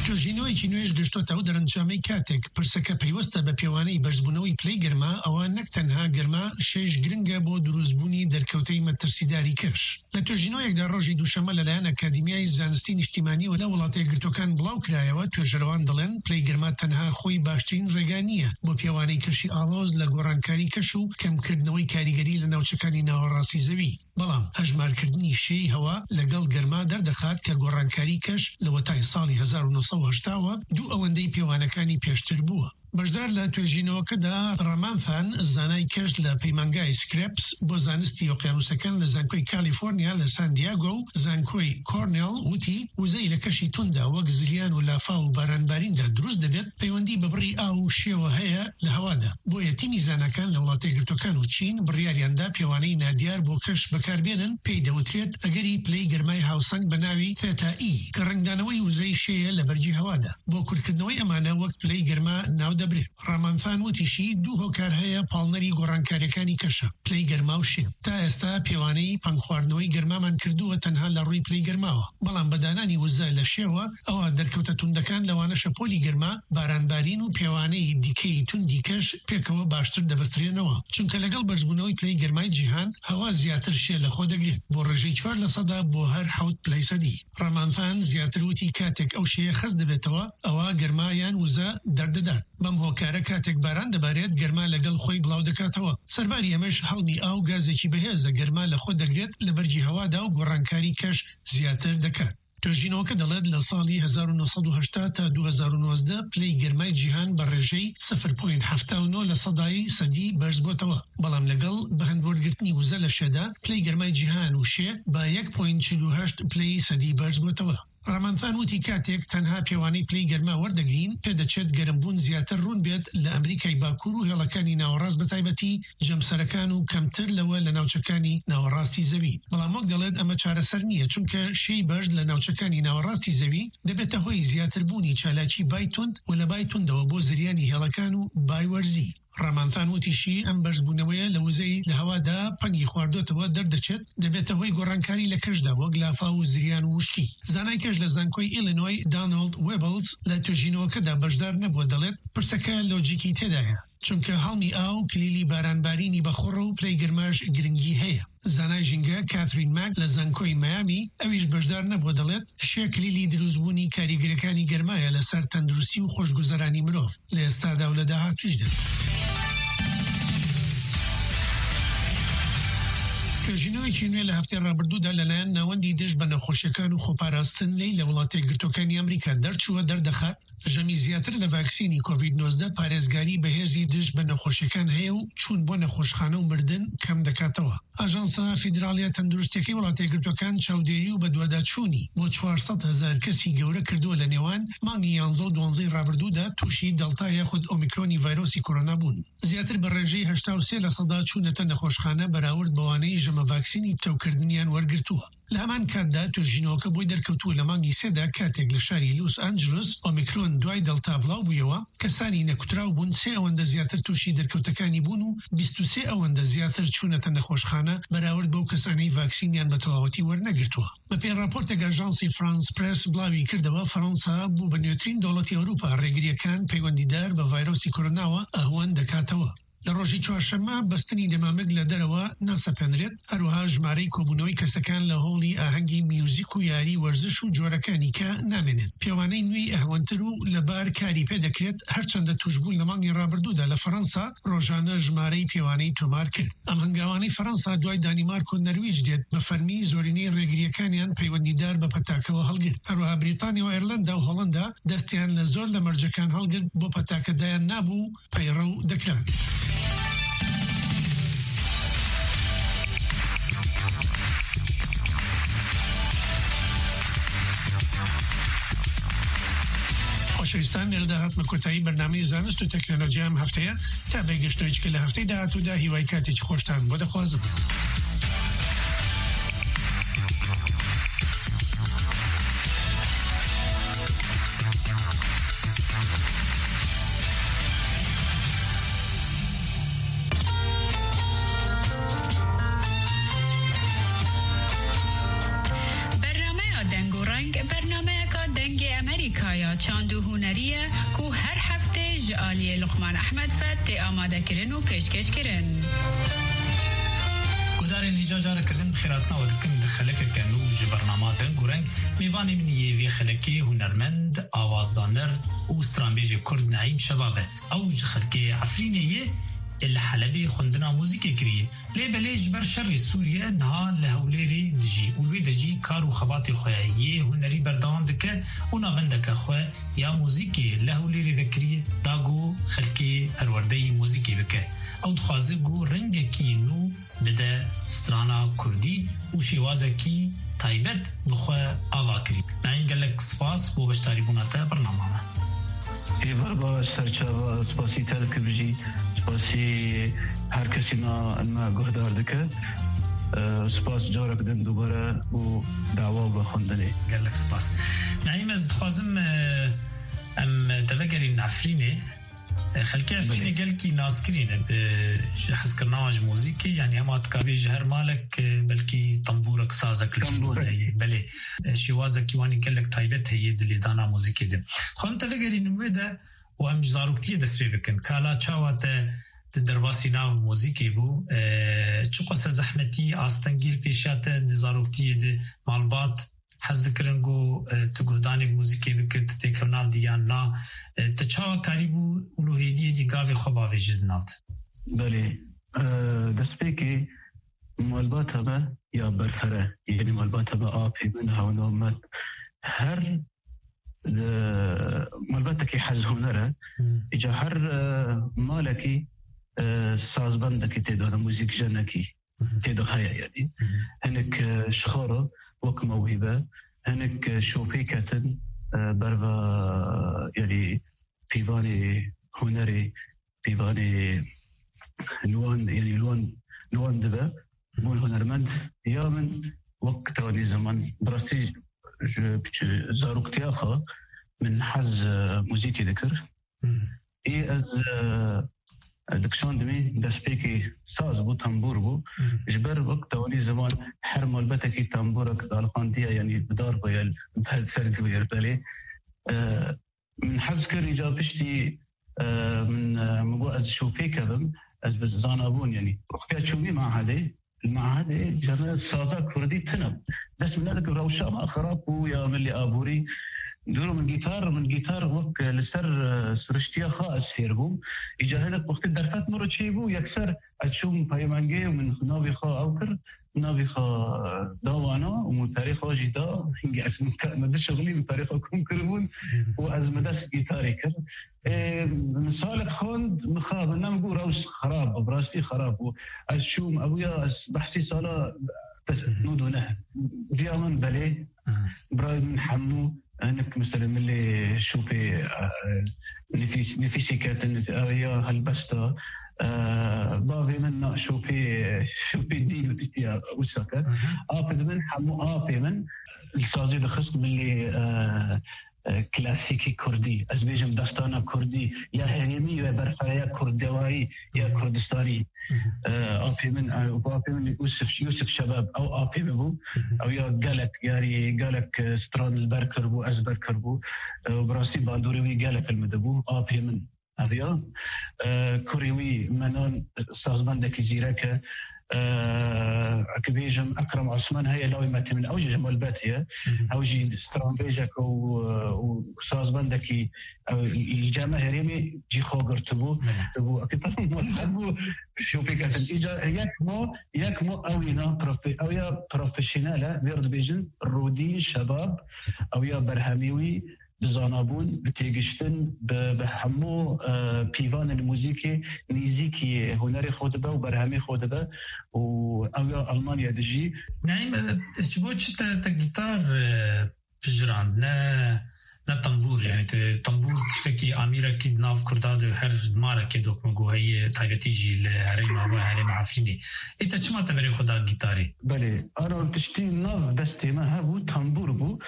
توێژینەوەیەکی نوێش گەشتۆتە ئەو دەرەنجامەی کاتێک پرسەکە پەیوەستە بە پێوانەی بەرزبوونەوەی پلەی گەرما، ئەوە نەک تەنها گەرما، شێش گرنگە بۆ دروستبوونی دەرکەوتەی مەترسیداری کەش. لە توێژینەوەیەکدا ڕۆژی دووشەممە لەلایەن ئەکادیمیای زانستی نیشتیمانیەوە لە وڵاتە یەکگرتوەکان بڵاو کرایەوە، توێژەرەوان دەڵێن پلەی گەرما تەنها خۆی باشترین ڕێگا نییە بۆ پێوانەی کەشی ئاڵۆز لە گۆڕانکاری کەش و کەمکردنەوەی کاریگەری لە ناوچەکانی ناوەڕاستی زەوی. بەڵام هەژمارکردنی شێی هەوا لەگەڵ گەرما دەردەخات کە گۆڕانکاری کەش لە وەتای ساڵی هەزار و نۆ سەد و هەشتا وە دوو ئەوەندەی پێوانەکانی پێشتر بووە. بەشدار لە توێژینەوەکەدا ڕامانفان، زانای کەش لە پەیمانگای سکرێپس بۆ زانستی ئۆقیانوسەکان لە زانکۆی کالیفۆرنیا لە سان دیاگۆ و زانکۆی کۆرنێڵ، وتی وزەی لە کەشی توندا وەک زریان و لافاو و بارانباریندا دروست دەبێت، پەیوەندی بە بڕی ئاو و شێوە هەیە لە هەوادا. بۆیە تیمی زاناکان لە وڵاتە یەکگرتوەکان و چین بڕیاریاندا پێوانەی نادیار بۆ کەش بەکاربێنن، پێی دەوترێت ئەگەری پلەی گەرمای هاوسەنگ بە ناوی تێتا ئی، کە ڕەنگدانەوەی وزەی شێیە لە بەرگی هەوادا. بۆ کورتکردنەوەی ئەمانە وەک پلەی گەرما ناو دەبرێت. ڕامانفان وتیشی دوو هۆکار هەیە پاڵنەری گۆڕانکاریەکانی کەشە، پلەی گەرما و شێ. تا ئێستا پێوانەی پەنگخواردنەوەی گەرمامان کردووە تەنها لە ڕووی پلەی گەرماوە، بەڵام بە دانانی وزە لە شێوە ئەوە دەرکەوتە توندەکان، لەوانە شەپۆلی گەرما، بارانبارین و پێوانەی دیکەی توندی کەش پێکەوە باشتر دەبەسترێنەوە، چونکە لەگەڵ بەرزبوونەوەی پلەی گەرمای جیهان هەوا زیاتر شێ لە خۆ دەگرێت، بۆ ڕێژەی چوار لە سەدا بۆ هەر حەوت پلەی سەدی. ڕامانفان زیاتر وتی کاتێک ئەو شێیە خەست دەبێتەوە، ئەوە گەرما یان وزە دەردەدات. بەم هۆکارە کاتێک باران دەبارێت، گەرما لەگەڵ خۆی بڵاو دەکاتەوە. سەرباری ئەمەش هەڵمی ئاو گازێکی بەهێزە، گەرما لە خۆ دەگرێت، لە بەرگی هەوادا و گۆڕانکاری کەش زیاتر دەکات. توێژینەوەکە دەڵێت لە ساڵی هەزار و نۆ سەد و هەشتا تا دوو هەزار و نۆزدە پلەی گەرمای جیهان بە ڕێژەی سفر پۆینت حەفتا و نۆ لە سەدای سەدی بەرز بۆتەوە، بەڵام لەگەڵ بەهەندوەرگرتنی وزە لە شێدا، پلەی گەرمای جیهان و شێ بە یەک پۆینت چل و هەشت پلەی سەدی بەرز بۆتەوە. ڕامانفان وتی کاتێک تەنها پێوانەی پلەی گەرما وەردەگرین، پێدەچێت گەرمبوون زیاتر ڕوون بێت لە ئەمریکای باکوور و هێڵەکانی ناوەڕاست، بە تایبەتی جەمسەرەکان و کەمتر لەوە لە ناوچەکانی ناوەڕاستی زەوی. بەڵام وەک دەڵێت ئەمە چارەسەر نییە، چونکە شێی بەرز لە ناوچەکانی ناوەڕاستی زەوی دەبێتە هۆی زیاتربوونی چالاکی بای تند و لە بای تندەوە بۆ زریانی هێڵەکان و بای وەرزی. ڕامانفان وتیشی ئەم بەرزبوونەوەیە لە وزەی لە هەوادا پەنگی خواردوتەوە دەردەچێت، دەبێتە هۆی گۆڕانکاری لە کەشدا وەک لافاو و زریان و وشکی. زانای کەش لە زانکۆی ئیلینۆی، دانالد وێبلز، لە توێژینەوەکەدا بەشدار نەبووە، دەڵێت پرسەکە لۆجیکی تێدایە، چونکە هەڵمی ئاو کلیلی بارانبارینی بەخۆڕە و پلەی گەرماش گرنگی هەیە. زانای ژینگە کاترین ماک لە زانکۆی مەیامی، ئەویش بەشدار نەبووە، دەڵێت شێ کلیلی دروستبوونی کاریگەرەکانی گەرمایە لەسەر تەندروستی و خۆشگوزەرانی مرۆڤ لە ئێستادا و لە داهاتووشدا. توێژینەوەیەکی نوێ لە هەفتەی ڕابردوودا لەلایەن ناوەندی دژ بە نەخۆشیەکان و خۆپاراستن لی لە وڵاتە یەکگرتوەکانی ئەمریکا دەرچووە، دەردەخات ژەمی زیاتر لە ڤاکسینی کۆڤید نۆزدە پارێزگاری بەهێزی دژ بە نەخۆشیەکان هەیە و چوون بۆ نەخۆشخانە و مردن کەم دەکاتەوە. ئاژانسە فیدراڵیە تەندروستیەکەی وڵاتە یەکگرتوەکان چاودێری و بەدواداچوونی بۆ چوار سەد هەزار کەسی گەورە کردووە لە نێوان مانگی یانزە و دوانزەی ڕابردوودا تووشی دەڵتا یاخود ئۆمیکرۆنی ڤایرۆسی کۆرۆنا بوون. زیاتر بە ڕێژەی هەشتا و سێ لە سەدا چوونەتە نەخۆشخانە بەراورد بەوانەی ژەمە ڤاکسینی پتەوکردنیان وەرگرتووە. لە هەمان کاتدا توێژینەوەکە بۆی دەرکەوتووە لە مانگی سێدا کاتێک لە شاری لوس ئانجلوس ئۆمیکرۆن دوای دەڵتا بڵاو بوویەوە، کەسانی نەکوتراو بوون سێ ئەوەندە زیاتر تووشی دەرکەوتەکانی بوون و بیست و سێ ئەوەندە زیاتر چوونەتە نەخۆشخانە بەراورد بەو کەسانەی ڤاکسینیان بە تەواوەتی وەرنەگرتووە. بە پێی راپۆرتێک ئاژانسی فرانس پرێس بڵاوی کردەوە، فەڕەنسا بوو بە نوێترین دەوڵەتی ئەوروپا ڕێگریەکان پەیوەندیدار بە ڤایرۆسی کۆرۆناوە ئەهوەن دەکاتەوە. لە ڕۆژی چوارشەممە بەستنی دەمامک لە دەرەوە ناسەپێنرێت، هەروەها ژمارەی کۆبوونەوەی کەسەکان لە هۆڵی ئاهەنگی میوزیک و یاری وەرزش و جۆرەکانی کە نامێنێت. پێوانەی نوێی ئەهوەنتر و لەبار کاری پێ دەکرێت، هەرچەندە توشبوون لە مانگی ڕابردوودا لە فەڕەنسا ڕۆژانە ژمارەی پێوانەی تۆمار کرد. ئەم هەنگاوانەی فەڕەنسا دوای دانیمارک و نەرویج دێت، بە فەرمی زۆرینەی ڕێگریەکانیان پەیوەندیدار بە پەتاکەوە هەڵگرت. هەروەها بریتانیا و ئێرلەندا و هۆڵەندا دەستیان لە زۆر لە مەرجەکان هەڵگرت، بۆ پەتاکەدایان نابوو پەیڕەو دەکران. خۆشەویستان، لێرەدا هاتمە کۆتایی بەرنامەی زانست و تەکنەلۆجیا ئەم هەفتەیە. تا بێگەشتەوەیەکی لە هەفتەی داهاتوودا، هیوای کاتێکی خۆشتان بۆ دەخوازم. Çand û hunerî ye ku her heftê ji aliyê Luqman Ehmed ve tê amadekirin û pêşkêşkirin. Guhdarên hêja careke din bi xêrhatina we dikin di xelekeke nû ji bernama Deng û Reng. Mêvanê min yê vê xelekê hunermend, awazdaner û stranbêjê Kurd Neîm Şebab e. Ew ji xelkê Efrînê ye, li Helebê xwendina muzîkê kiriye. Lê belê ji ber şerê Sûriye niha li Hewlêrê dijî û li wê de jî kar û xebatê xwe yê hunerî berdewam dike û navendeke xwe ya muzîkê li Hewlêrê vekirî da ku xelkê perwerdeyî muzîkê bike. Ew dixwaze ku rengekî nû bide strana kurdî û şêwazekî taybet bi xwe ava kirî. Naîm, gelek spas bo beşdarîbûna te bernama me. Êvar baş, serçava, spasî te dikim jî, spasî her kesî me, me guhdar dike. E, spas carek din dubare û dawa bi xwendinê. Gelek spas. Naîm, ez dixwazim, e, em te vegerîn Efrînê. E, xelkê Efrînê Belê. gelkî naskirî ne, e, ji hezkirina wan ji muzîkê, yanî hema dikabî ji her malek, e, belkî tembûrek, sazek li Tembûrek. heye. Belê, e, şêwazekî wan ê gelek taybet heye di lêdana muzîkê de. Xwe em te vegerînin wê de û em ji zaroktiyê dest pê bikin. Kala çawa te di derbasî nav muzîkê bû? E, çiqas zehmetî, astengî li pêşiya te di zaroktiyê de malbat hez dikirin ku, e, tu guhdanê muzîkê bikit, têkevna di yan na? E, te çawa karîbû û li hêdiyê dî gavê xwe bavêjî di nav de? Belê. E, destpêkê malbata me ya berfere, yanî malbata me, apê min, hewna me, her, e, malbatekî hez huner e. Hmm. Îca her, e, malekî, e, sazbendekî tê de, muzîkjenekî Mhm. tê de heye, yanî. Mhm. Hinek, e, ji xwe re wek mewhîbe, hinek, e, şopê ketin, e, berva, yanî, pîvanê hunerê, pîvanê li wan, yanî li wan, li wan dibe. Mhm. Bûn hunermend ya min wek tewanî ziman. Bi rastî ji piç-, zaroktiya xwe min hez, e, muzîkê dikir. Hmm. Ê ez, e, dikişandimî, destpêkê saz bû, tembûr bû. Hmm. Ji ber wek tewanî ziman her malbetekî tembûrek daliqandiye, yanî bi dar bûye, li ser dûyê belê. E, min hez kir, îca piştî, e, min, e, min got ez şopê kevim, ez bi zana bûn, yanî wextiya çûmî mahedê, Li mehedê cene saza kurdî tune. Dest min nedike, rewşa me xirab bû ya milî aborî. Dûro min gîtar, min gîtar wek li ser, e, siriştiya xwe ez fêr bûm. Îca hinek wextê derfet min re çêbû, yekser ez çûm peymengê û min navê xwe ew kir, navê xwe da wana û min perê xwe jî da. Hingî ez min te-, min di şixulî min perê xwe kom kiribûn û ez min dest gîtarê kir. Ê, min salek xwend, mixabin, ne min got rewş xirab bû, bi rastî xirab bû. Ez çûm, ew ya ez behsî sala nod û neh. Diya min belê, birayê min hemû, hinek mesela milê şopê, e, nifîs-, nifîsê ketin, ew ya helbesta, e, bavê min na şopê, şopê dîn û tiştiya wisa kir. Apê min hemû apê min li sazî dixist milê, e, e, klasîkî kurdî, ez bêjim destana kurdî, ya herêmî ya berxwereya kurdewayî ya Kurdistanî. Mhm. E, apê min, e, apê min Yusuf, Yusuf Şebab, ew apê min bû. Mhm. Ew ya gelek yarî, gelek, e, stran li ber kiribû, ez ber kiribû. E, û bi rastî bandorê wî gelek li min dibû. Apê min. Ev ya, e, kurê wî Menan sazbendekî zîrek e. E, ki bêjim Ekrem Osman heye, lawê me tê min, ew jî ji malbetê ye. Mhm. Ew jî stranbêjek û, û sazbendekî, ew li cem herêmê cî xwe girtibû. Belê. Bû, ki tam malbet bû, şopê ketin. Îca yek mo, yek mo ew îna profe-, ew ya profesyonel e, vêr dibêjin Rûdîn Şebab, ew ya berhemî wî, bi zanabûn, bi têgiştin, bi, bi hemû, e, pîvanên muzîkê nêzîkî hunerê xwe dibe û berhemê xwe dibe û ew ya Almanya dijî. Naîm, e, ji bo çi te, te gîtar, e, pijirand, ne, ne tembûr, yanî te tembûr tiştekî amîrekî di nav Kurda de her marekê dokmego heye, taybetî jî li herêma we, herêma Efrînê. Ê te çima te berê xwe da gîtarê? Belê, ana tiştî nav destê me hebû, tembûr bû.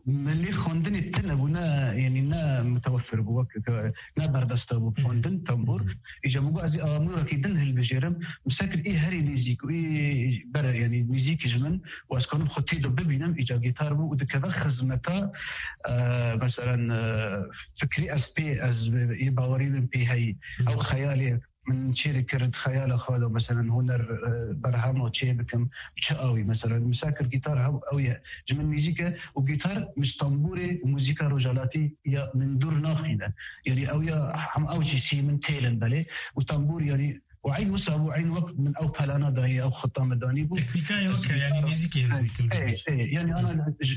milê xwendinê tune bû, ne, yanî ne mutewefir bû, wek, ne berdesta bû xwendin, tembûr. Îca min got, ez ê amûrekî din hilbijêrim. Min sekir ê herî nêzîk û ê ber, yanî nêzîk ji min û ez kanim xwe tê de bibînim, îca gîtar bû û dikeve xizmeta, e, meselen, e, fikrî ez pê, ez ê bawerî min pê heyî. Ew xeyalê min çê dikir, di xeyala xwe de, meselen, huner, e, berhema çê bikim, çi awî, meselen, min sekir gîtar hev-, ew ye, ji min nêzîk e û gîtar min ji tembûrê û muzîka rojhalatî ya min dûr naxîne. Yanî ew ya hem ew jî sî min têlin belê û tembûr, yanî û eyn wisa bû, eyn wek min ew pelana dayî, ew xita min danî bû. Teknîkayê wek e, yanî nêzîkî hevdû. Ê, ê, yanî ana, e,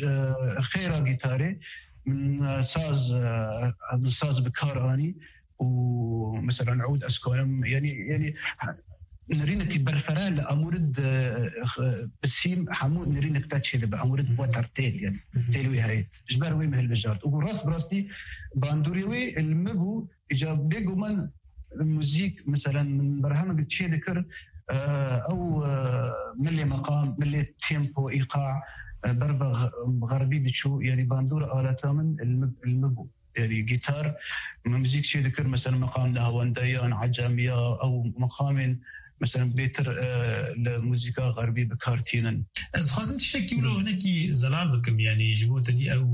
xêra gîtarê min, e, saz, e, min saz bi kar anî û, meselen, ew ez karim, yanî, yanî, ha, nirînekî berfere li amûrid, e, bi sîm hemû nirînek te çê dibe, amûrid weter têl, yanî têl wî heye. Ji ber wê min hilbijart. Û rast bi rastî bandorê wê li min bû, îca bêguman muzîk, meselen, min berhemeke çê dikir, e, ew, e, milê meqam, milê tempo, îqa, e, ber ve ğ-, xerbî diçû, yanî bandor aleta min li min, li min bû. Yanî gîtar, min muzîk çê dikir, meselen, meqam nehawendeyan, ecemiya, ew meqamên, meselen, bêtir, e, li muzîka xerbî bi kar tînin. Ez dixwazim tiştekî wilo hinekî zelal bikim, yanî ji bo te dî ew,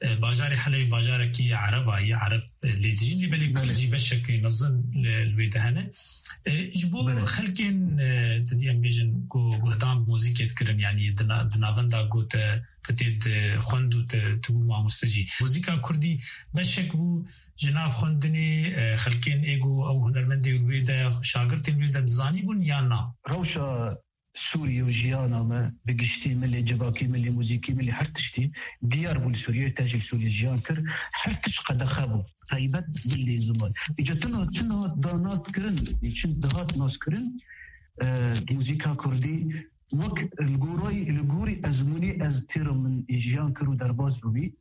e, bajarê Helebê bajarekî ereba ye, ereb, e, lê dijîn, lê belê kurd jî beşekî mezin li, li wê de hene. E, ji bo xelkên, e, te dî em bêjin ku guhdan bi muzîkê dikirin, yanî di na-, di navenda ku te, te tê dixwend û te, te bû mamoste jî. Muzîka kurdî beşek bû ji nav xwendinê, e, xelkên ê ku ew hunermendê wê de, şagirtên wê de dizanîbûn yan na? Rewşa Sûriyê û jiyana me bi giştî, milê civakî, milê muzîkî, milê her tiştî diyar bû li Sûriyê, te jî li Sûriyê jiyan kir, her tişt qedexe bû. Taybet milê ziman. Îca tu niha çi niha da naskirin, çi dihat naskirin, e, muzîka kurdî wek li gorayî, li gorî ezmûnê ez têra min jiyan kir û derbas bûbî.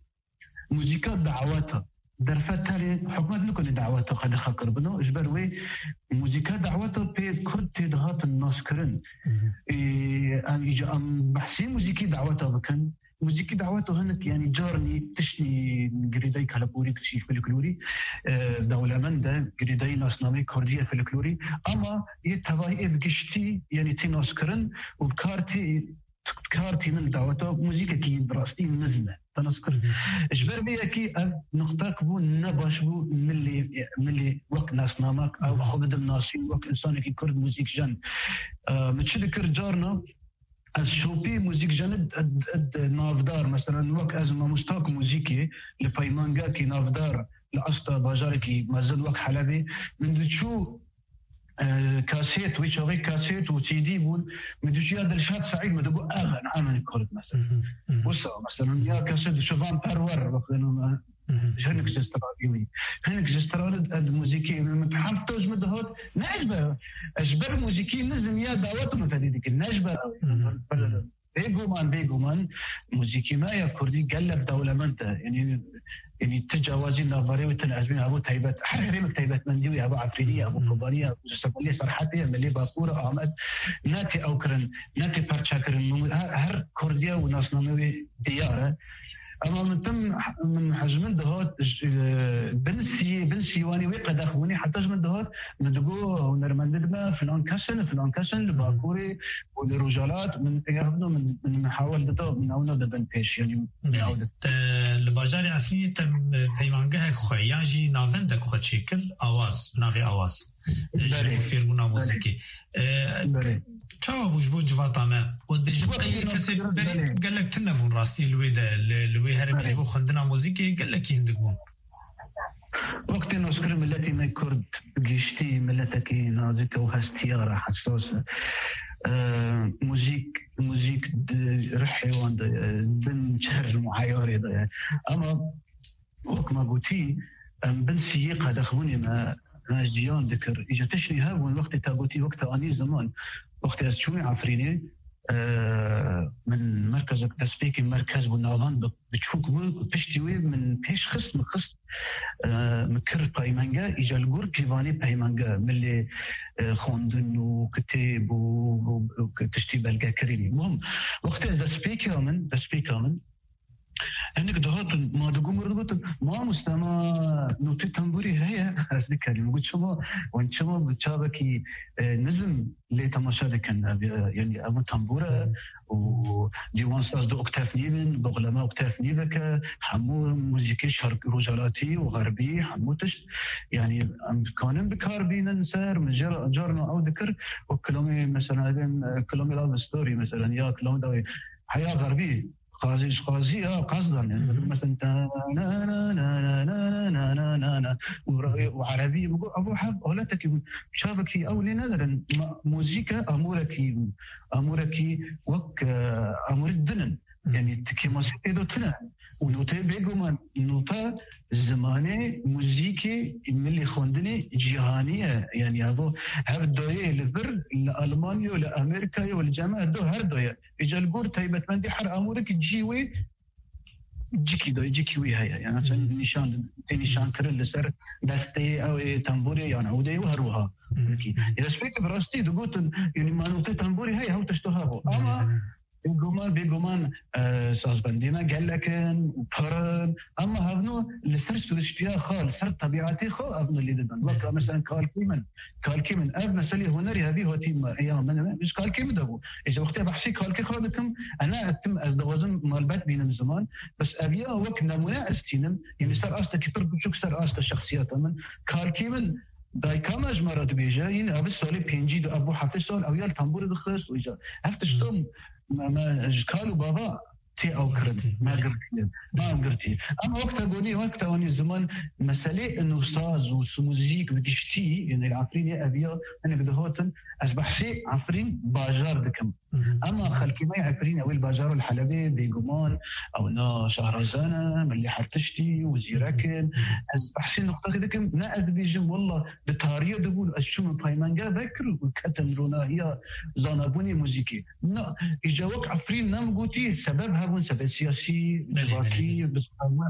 Muzîka daweta. Derfet tenê hikûmet nikune daweta qedexe kiribino. Ji ber wê muzîka daweta pê kurd tê dihatin naskirin. Ê, em îca em behsê muzîkî daweta bikin. Muzîkî daweta hinek, yanî carnî tiştî girêdayî keleporî, tiştî folklorî, e, dewlemend e, girêdayî nasnameyê kurdî ye folklorî. Ama yê tevahî ê bi giştî, yanî tê naskirin û bi kar tê kar tînin daweta muzîkekî bi rastî nizm e. Te nas kir. Ji ber vê yekî ev nuqtek bû, ne baş bû, milê, milê wek nasnamek, ew xwe bidim nasîn wek insanekî kurd muzîkjen. E, min çi dikir carna, ez şopî muzîkjen id, id, id navdar, meselen, wek ez mamostak muzîkê li peymangekî navdar, li asta bajarekî mezin wek Helebê, min diçû e, kasêt, wê çaxê kasêt û C D bûn. Min diçû ya Dilşad Seîd, min digot, "Ev en, ev en kurd," mesela. Wisa, mesela, ya kasêt Şivan Perwer, wextê hinek ji stranî wî. Hinek ji stranî ed muzîkî, min hemta ji min dihat, ne ji ber, ji ber muzîkî nizm ya dawet min fedî dikir, ne ji ber ew. Bêguman, bêguman, muzîkî me ya kurdî gelek dewlemend e. Yanî, yanî ti cawazî navbarê wê tune ezmîn hebû taybet. Her herêmek taybetmendî wê hebû, Efrînî ye, hebû Kobanî ye, ji Semelê Serhetê ye, Milê Bakur e, Amed. Ne tê ew kirin, ne tê perçe kirin. Min her, her kurdiya û nasname wê diyar e. Ema min tim, min hej min dihat, j-, e, bin sî-, bin sîwanî wê qedex bûnî, heta ji min dihat, min digot, hunermendê me filan kes in, filan kes in, li Bakurê û li Rojhilat, min eger hebûna min, min, min hawal dida, min ewna dibin pêş, yanî min Belê. Ew di- Te li bajarê Efrînê te, e, peymangehek xwe yan jî navendek xwe çêkir, Awaz, bi navê Awaz. E, ji Belê. Bo fêrbûna Belê. Muzîkê. E, Belê. Çawa bû ji bo civata me? Û dibêjin Ji bo qey fêrbûna kesê muzîkê, berî belê. Gelek tune bûn rastî li wê de, li, li wê herêmê Belê. Ji bo xwendina muzîkê gelekî hindik bûn. Wextê naskirin miletê me kurd bi giştî miletekî nazik û hestiyar e, hesas e. E, muzîk, muzîk di rihê wan de ye, bin çer muheyarê de ye. Ama wek me gotî, em bin siyê qedexbûnê me, me jiyan dikir. Îca tiştî hebûn, wextê te gotî, wek te anî ziman. Wextê ez çûme Efrînê, e, min merkezek destpêkê merkez bû, navend bi biçûk bû, piştî wê min pêş xist, min xist, e, min kir peymenge, îca li gor pîvanê peymenge, milê, e, xwendin û kitêb û, û, û tiştî belgekirî. Muhim, wextê ez destpêka min, destpêka min, Hinek dihatin, ma digû mir digotin, "Mamoste, ma notê tembûrê heye?" Ez dikerîm. Got, "Çima, wan çima bi çavekî, e, nizm lê temaşe dikin?" Ev, e, yanî ev tembûr e û dîwan saz du oktav nîv in, boxleme oktav nîvek e, hemû muzîkê şerq, rojhelatî û xerbî, hemû tişt. Yanî em dikanin bi kar bînin ser, min jê re, carna ew dikir û kilomê, mesela, e, kilomê love story, mesela, ya kilomê dawê heya xerbî. Qazî, ji qazî ya qazdan, yani, Mhm. mesela, ta na na na na na na na na na na. Û ra-, û erebî, û ev hev aletekî bû. Çavekî ew lê nedirin. Ma-, muzîke amûrekî, amûrekî wek, e, amûrî din in. Mhm. Yani, tikê masî pê de tune. Û noteyê bêguman, nota zimanê muzîkê milî xwendinê cîhanî ye. Yani, evo hev doyê li vir, li Almanya, li Amerîkayê û li cema do her doye. Îca li gor taybetmendî her amûrekî cî wê cikî dayê, cikî wî heye. Yani çend nîşan, tê nîşan kirin li ser destê ew ê tembûrê, yani ew dê û her wiha. Peki. Ya spêk bi rastî digotin, yani manotê tembûrê heye, hew tişt hebû. Ama bêguman, bêguman, e, sazbendê me gelek in û pir in. Ama hevno li ser siriştiya xwe, li ser tebîatê xwe hevno lê dibin. Wek mesela kalkê min, Kalkê min, ev meselê hunerî hevî hatî me, ya min, min, ji kalkê min de bû. Ê, ji wextê behsê kalkê xwe dikim, ena etim, ez dixwazim malbet bînim ziman, bes ev ya wek nemûne ez tînim, yanî ser astekî pir biçûk, ser asta şexsiyeta min. Kalkê min, dayika me ji me re dibêje, yîn ev salê pêncî de, ev bû heftê sal, ew ya li tembûrê dixist, û îca. Ev tiştan me, me ji kal û bava tê ew kirin. Girtî, Me belê. girtî. Me ew girtî. Em wek te gonî, wek te gonî ziman meselê û saz û muzîk bi giştî, yani Efrînê eviya, hinek dihatin, ez behsê Efrîn bajar dikim. Mhm. Ama xelkê me Efrîn, ew ê li bajara li Helebê, bêguman, ew na şahrazan e, milî her tiştî û zîrek in. Mhm. Ez behsê nuqtekê dikim, ne ez dibêjim, walla, Di tariyê de bûn, ez çûm peymenge vekir û ketim ronahiya zanabûnê muzîkê. Na, îca wek Efrîn nem gotî, sebeb hebûn, sebeb siyasî, Belê, civakî, belê, belê. bi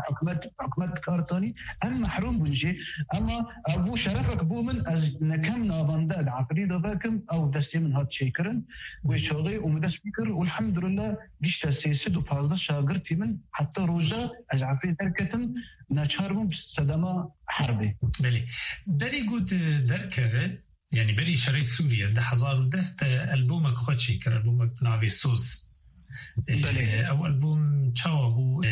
hikûmet, hikûmet kartanî, em mehrûm bûn jê. Ama ev bû şerefek bû min, ez nekem navende di Efrîn de vekim, ew destê min hat çêkirin. Wê çaxê û min dest pê kir û elhamdülillah gişte sê sed û pazdeh şagirtî min heta roja ez Efrîn derketim, neçar bûm sedema herbê. Belê. Berî ku tu derkeve, yanî berî şerê Sûriye, du hezar û deh te elbomek xwe çêkir, elbomek bi navê Soz. Belê. E, ew elbom çawa bû? E,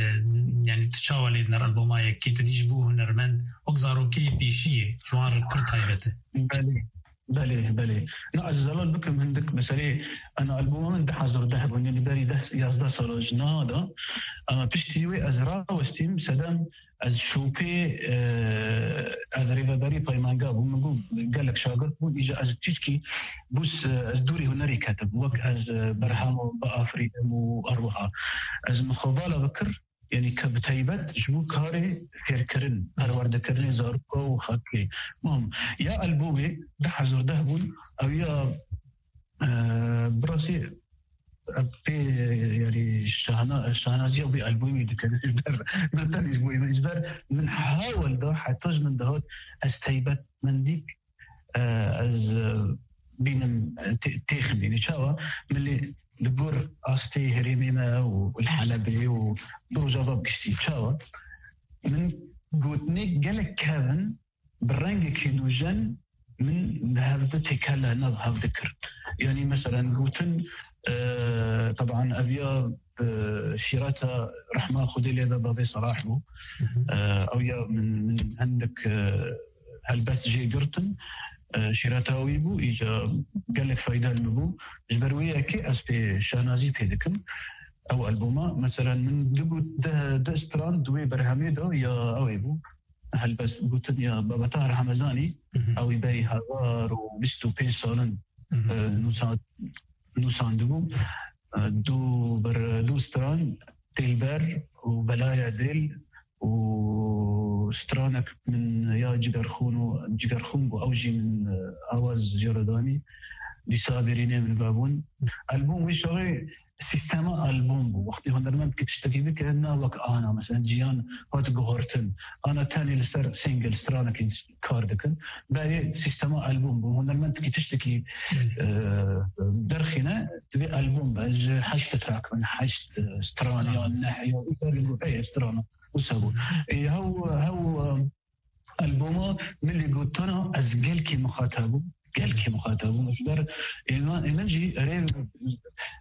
yanî tu çawa lê dinar elboma yekê? Te dî ji bo hunermend, wek zarokê pêşiyê, ji wan re pir taybet e. Belê. Belê, belê. Na, ez zelal bikim hindik meselê, ana albuma min du hezar deh bûn, yani berî deh, yazdeh sala ji niha de. Ama piştî wê ez rawestîm, sedem ez şopê, e, ez rêveberî peymanga bûm, min got, gelek şagirt bûn, îja ez tişkî bûs, e, ez dûrî hunerî ketim, wek ez, e, berhem biafirînim û her wiha. Ez min xwe vala bikir, Yanî ke bi taybet ji bo karê fêrkirin, perwerdekirinê zaroka û xelkê. Muhim, ya albomê du hezar deh bûn, ew ya, e, bi rastî, e, pê, yanî şahna-, şahnaziya wî albomî dikir ji ber, ne tenê ji bo min, ji ber min hawil da, heta ji min dihat, ez taybetmendîk e, ez, e, bînim, e, tê-, têximînî. Çawa? Min lê li gor astê herêmê me û li Helebê û bi Rojava bi giştî. Çawa? Min gotinê gelek kevin bi rengekî nûjen min bi hev de têkele nav hev dikir. Yanî, meselen, gotin, e, teban ev ya bi şîreta rehma Xwedê lê be bavê Serah bû. Hı hı. E, ew ya min, min hindik, e, helbest jê girtin. E, şîreta wî bû, îca gelek fayda li min bû. Ji ber wê yekê ez pê şanazî pê dikim. Ew alboma, meselen, min du got, deh, deh stran di wê berhemê de ya ew ê bû. Helbest gotin ya Babetahar Hemezanî, Hı hı. ew ê berî hezar û bîst û pênc salin, Hı hı. e, nûsa-, nûsandibû. E, du ber-, du stran, Dilber û Belaya Dil û stranek min ya Cigerxûn û Cigerxûn bû, ew jî min, e, awaz jê re danî. Dîsa bêrînê min vebûn. Albûm wî şerê sîstema albûm bû. Wextê hunermend ki tiştekî bike, na wek ana, mesela ciyan hat guhertin. Ana tenê li ser single, stranekî kar dikin. Berê sîstema albûm bû. Hunermend ki tiştekî, e, derxîne, divê albûm be. Ji heşt track bin, heşt, e, stran ya, neh ya, wisa li got, ey, strana, wisa bû. E, hew, hew, e, Albûma milî gotana ez gelkî mixatab bûm. Gelkî mixatab bûm. Ji ber êna, êna jî erê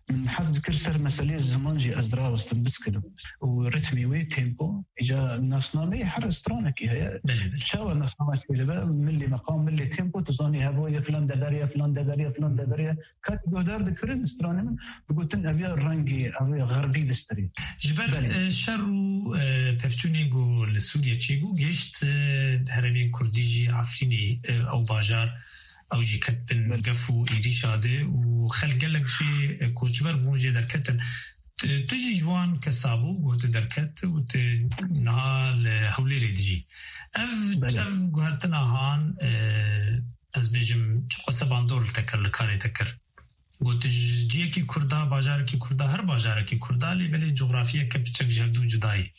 min hez dikir ser meselê ziman jî ez dirawestim biskilim. Û ritmî wê tempo, îca nasnameyê her stranekî heye. Belê, belê. Çawa nasname çêdibe, milî meqam, milî tempo, tu zanî hevoyê filan deveriye, filan deveriye, filan deveriye. Kat guhdar dikirin stranê min, digotin ev ya rengê, ev ya xerbî distirê. Ji ber, Belê. e, şer û, e, pevçûnê ku li Sûriye çêbû, gihişt, e, herêmê Kurdî jî Efrînê, e, ew bajar, ew jî ket bin Belê. gef û êrîşa de û xelk gelek jê, e, koçber bûn jê derketin. Tu, tu jî ji wan kesa bû, ku tu derket û tu niha li Hewlêrê dijî. Ev, Belê. ev guhertina han, e, ez bêjim, çiqas bandor li te kir, li karê te kir. Got, ji ciyekî Kurda, bajarekî Kurda, her bajarekî Kurda, lê belê cografiyeke piçek ji hevdû cuda ye.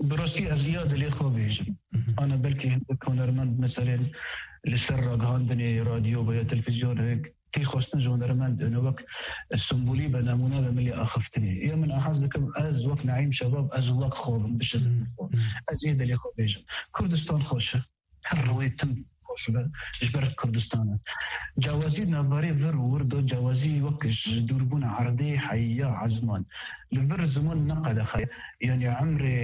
Bi rastî ez ya dilê xwe bêjim. Mhm. Ana belkî hindik hunermend, meselên li ser ragihandinê, radyo veya televîzyon, hek tê xwestin ji hunermend, ene wek sembolî be, nemûne be milê axiftinê. Ya min a hez dikim, ez wek Neîm Şebab, ez wek xwe bim, bişim Mhm. xwe. Mhm. Ez ê dilê xwe bêjim. Kurdistan xweş e. Her rewê tim xweş be, ji ber Kurdistan e. Cawazî navbarê vir û wir do, cawazî wek ji dûrbûna erdê heya ezman. Li vir ziman ne qedexe ye. Yanî emrê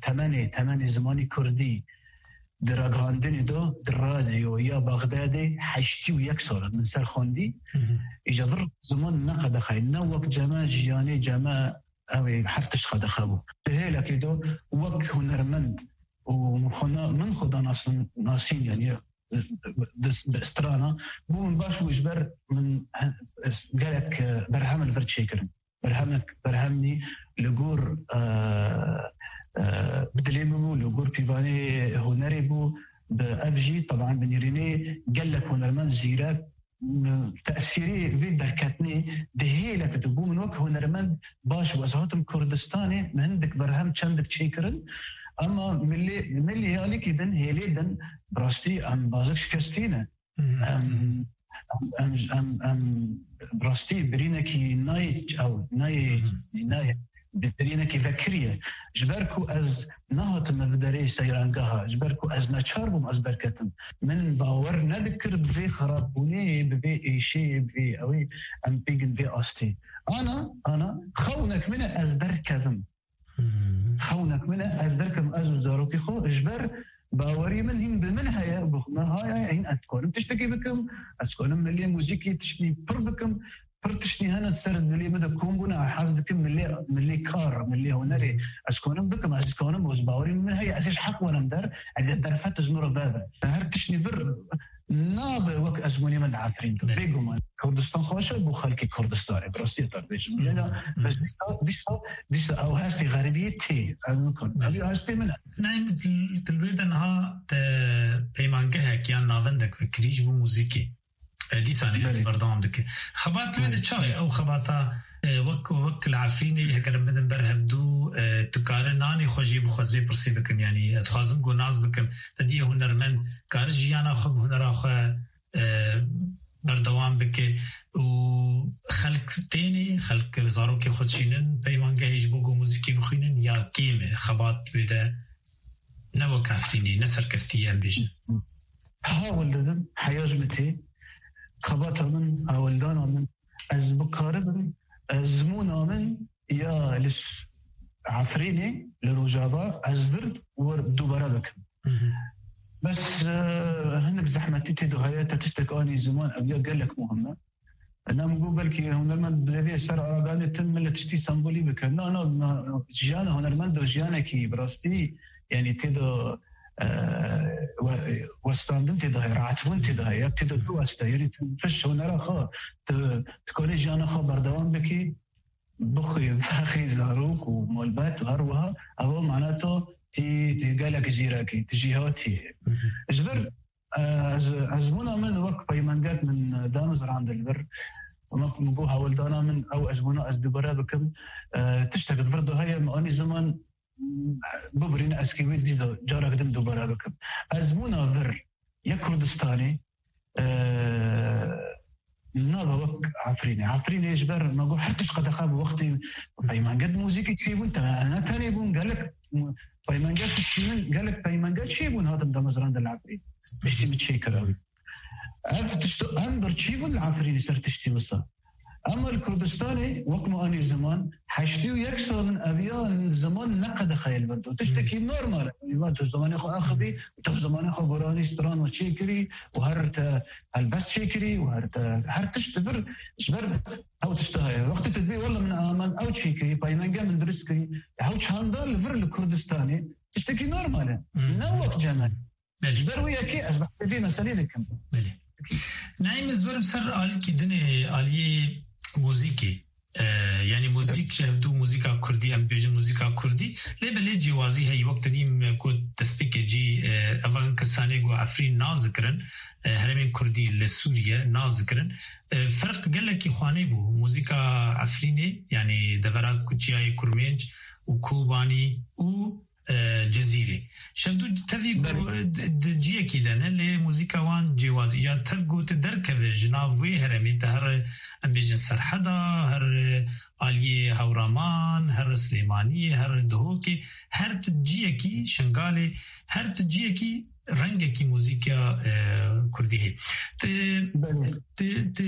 temenê, temenê zimanî kurdî di ragihandinê do, di radyo ya Baxdadê heştî û yek sal e min ser xwendî. Mhm. Îja vir ziman ne qedexe ye. Ne wek ceme jiyanê ceme ew ê her tişt qedexe bû. Di hêlekê do wek hunermend û min xwe na-, min xwe da nasin-, nasîn, yanî, di, bi strana, bû min baş bû ji ber min he-, gelek, e, berhem li vir çêkirin. Berhemek, berhemî li gor, e, e, bi dilê min bû, li gor pîvanê hunerê bû, bi ev jî, teban bi nîrînê gelek hunermend zîrek, tesîrê vê derketinê di hêlek de bû. Min wek hunermend baş bû. Ez hatim Kurdistanê, min hindik berhem çendik çêkirin. Ema milê, milê alîkî din, hêlê din, bi rastî em bazik şikestî ne. Mhm. Em, em, em, em, em bi rastî birînekî nayê, ew, nayê, Mhm. nayê, bi-, birînekî vekirî ye. Ji ber ku ez nehatime bi derê seyrangeha, ji ber ku ez neçar bûm ez derketim. Min bawer nedikir bi vê xerabbûnê, bi vê êşê, bi vê ewê, em bêgin vê astê. Ana, ana, xewnek min e ez derkevim. Hmm. Xewnek min e ez derkevim, ez û zarokê xwe, ji ber bawerî min hîn bi min heye, bi me heye, hîn ez dikarim tiştekî bikim, ez dikarim milê muzîkî tiştî pir bikim, pir tiştî hene ser dilê min de kom bûne, ez hez dikim milê, milê kar, milê hunerê ez konim bikim, ez konim û ji bawerî min heye, ez ê ji heq werim der, eger derfet ji min re vebe. Her tiştî vir nabe wek ezmûnê min di Efrîn de. Evet. Bêguman Kurdistan xweş e bo xelkê Kurdistanê, bi rastî te bêjim. Hı hı. Yena, hı hı, bes dîsa, dîsa, dîsa ew hestê xeribiyê tê. Ez nikim. Evet. Ev hestê min e. Nayê, tu li wê de niha te peymangehek yan navendek vekirî ji bo muzîkê. E, dîsanê hatiye berdewam dike. Belê. Xebat wê de çawa ye? Ew xebata, e, wek, wek li Efrînê heger em bidin ber hevdû, e, tu kare nanê xwe jî bixwe, ez vê pirsê bikim, yanî, e, dixwazim ku nas bikim. Te diye hunermend kare jiyana xwe bi hunera xwe, e, berdewam bike û xelk tênê, xelk zarokê xwe dişînin peymangehê ji bo ku muzîkê bixwînin ya kêm e? Xebat wê de ne wek Efrînê, ne serkeftî ye, em bêjin. Hawil didim, heya ji min tê, xebata min, hawildana min, ez bikaribim, ezmûna min ya li s-, Efrînê, li Rojava, ez vir wir dubare bikim. Hı hı. Bes, e, hinek zehmetî tê de heye, te tiştek anî ziman, ev ya gelek muhim e. Ena min got, belkî hunermend bi vê ser araganê tim millet tiştî sembolî bike. Na, na, na, jiyana hunermend do jiyanekî bi rastî, yanî tê de, e, we-, westandin tê de heye, rahatbûn tê de heye, tê de biweste. Yanî tu piş hunera xwe, tu, tu kanê jiyana xwe berdewam bikî, bixwî, vexî zarok û malbat û her wiha, ev mana to tî, tî gelek zîrekî, tî jîhatî. Hı hı. Ji vir, e, ez, ezmûna min wek peymangek min, e, damizrand li vir. Min, min got hewldana min ew ezmûna ez dubare bikim. E, tiştek di vir de heye, min anî ziman, bibirîne, ez kê wê dîsa carek din dubare bikim. Ezmûna vir ya Kurdistanê, e, nabe wek Efrînê. Efrînê ji ber me got her tişt qedexe bi wextê peymenge di muzîkê çêbûn, te ne tenê bûn, gelek peymenge tiştî min, gelek peymenge çêbûn, hatin damezrandin li Efrîn. Tiştî min çêkira. Ev tişt em birçî bûn li Efrînê ser tiştî wisa. Ema li Kurdistanê wek me anî ziman, heştê û yek sal in eviya ziman ne qedexeyê li vir de. Tiştekî normal e. Yanî tu zimanê xwe axivî, tu zimanê xwe goranî, stran û çêkirî û her te helbest çêkirî û her te her tişt di vir ji ber ew tişta heye. Wextê tu dibî wele min aman ew çêkirî, peymenge min dirist kirî, ew çanda li vir li Kurdistanê tiştekî normal e. Ne wek cem e. Belê. Ji ber wê yekê ez behsê vê meselê dikim. Belê. Naîm, ez werim ser alîkî dinê, aliyê muzîkê. E, yanî muzîk ji hevdû muzîka kurdî, em bêjin muzîka kurdî, lê belê cêwazî heye. Wek te dî me got destpêkê cî, e, evan kesanê ku Efrîn nazikirin, e, herêmên kurdî li Sûriye nazikirin. E, ferq gelekî xwanê bû. Muzîka Efrînê, yanî devera ku çiyayê Kurmênc û Kobanî û e, Cizîrê. Şevdû tevî ku Belê. di, di ciyekî de ne, lê muzîka wan cêwazî. Ya tev ku tu derkeve ji nav wê herêmê, te her, em bêjin Serheda, her aliyê Hewraman, her Silêmaniyê, her Duhokê, her tu ciyekî Şingalê, her tu ciyekî rengekî muzîka, e, kurdî heye. Tu, Belê. tu, tu,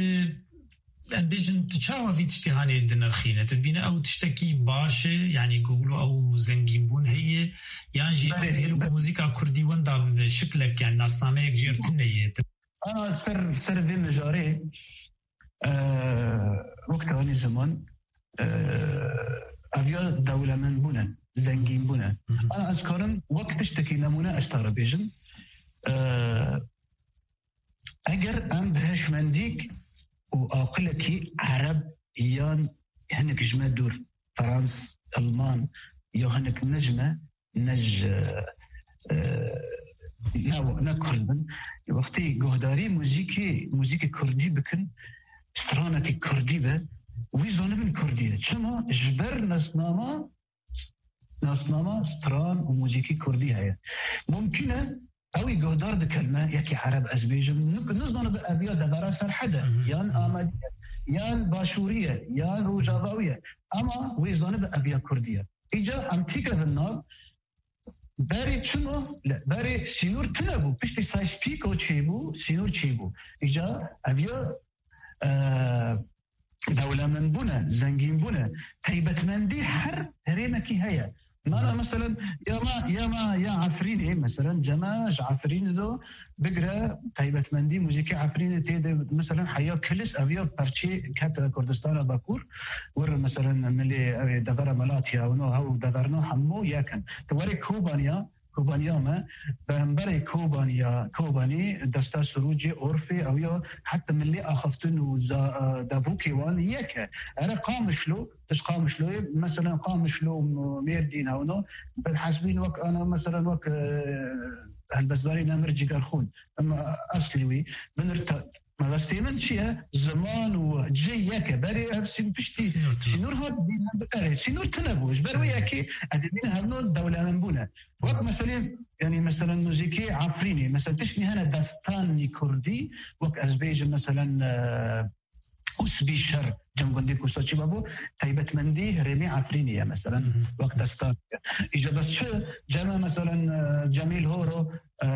Em bêjin, tu çawa vî tiştî hanê dinirxîne? Tu dibîne ew tiştekî baş e, yanî ku wilo ew zengînbûn heye, yan jî ew Belê. dihêl ku muzîka kurdî wenda bibe şiklek, yanî nasnameyek jê re tune ye? Ana ser, ser vê mijarê, e, wek te anî ziman, e, ev ya dewlemendbûn e, zengînbûn e. Hı hı. Ana ez karim wek tiştekî nemûne ez te re bêjim. E, Eger em bi hişmendîk û aqilekî ereb yan hinek ji me dûr, Frans, Alman ya hinek ne ji me, ne ji, e, ne, ne kurd bin, wextê guhdarî muzîkê, muzîkê kurdî bikin, stranekî kurdî be, wî zanibin kurdî ye. Çima? Ji ber nasnama nasnama stran û muzîkî kurdî heye. Mumkin e ew ê guhdar dikin me, yekî ereb ez bêjim, nik-, nizanibe ev ya devera Serhede, Hı hı. yan Amedî ye, yan Başûrî ye, yan Rojavawî ye. Ema wê zanibe ev ya kurdî ye. Îca em têkevin nav, berê çima? Le-, berê sînor tune bû. Piştî Sykes-Picot çêbû, sînor çêbû. Îca ev ya, e, dewlemendbûne, zengînbûne, taybetmendî her herêmekî heye. Mana, meselen, ya ma, ya ma, ya Efrînê, meselen, cema ji Efrînê do bigire, taybetmendî muzîkê Efrînê tê de, meselen, heya Kilis, ev ya perçê kete Kurdistana Bakur, wir, meselen, milê, ev ê devera Malatya, wino, hew deverno hemû yek in. Tu werê Kobaniya, Kobaniya me, beremberê Kobaniya, Kobanî, desta Sirûcê, Orfê, ew ya heta milê axiftin û za-, e, davûkê wan yek e. Ere Qamişlo, tu ji Qamişloyê, meselen Qamişlo, m-, Mêrdîn, hewno, bi hesbîn wek ana, meselen wek, e, helbestdarê Nemir Cigerxûn, em, eslê wî, binir ta-, Mebestê min çi ye? Ziman û cih yek e. Berê ev sîn-, piştî Sînor tune. sînor hat bîne, erê, sînor tune bû. Ji ber wê yekê ez dibînim hevno dewlemend bûne. Wek meselê, yanî meselen muzîkê Efrînê, meselen tiştî hene destanî kurdî, wek ez bêjim meselen, e, Usbî Şer, cem gundê Kusaçî Babo, taybetmendî herêmê Efrînê ye meselen, Hı hı. wek destan. Îja bes çi, cem e meselen, e, Cemîl Horo, e,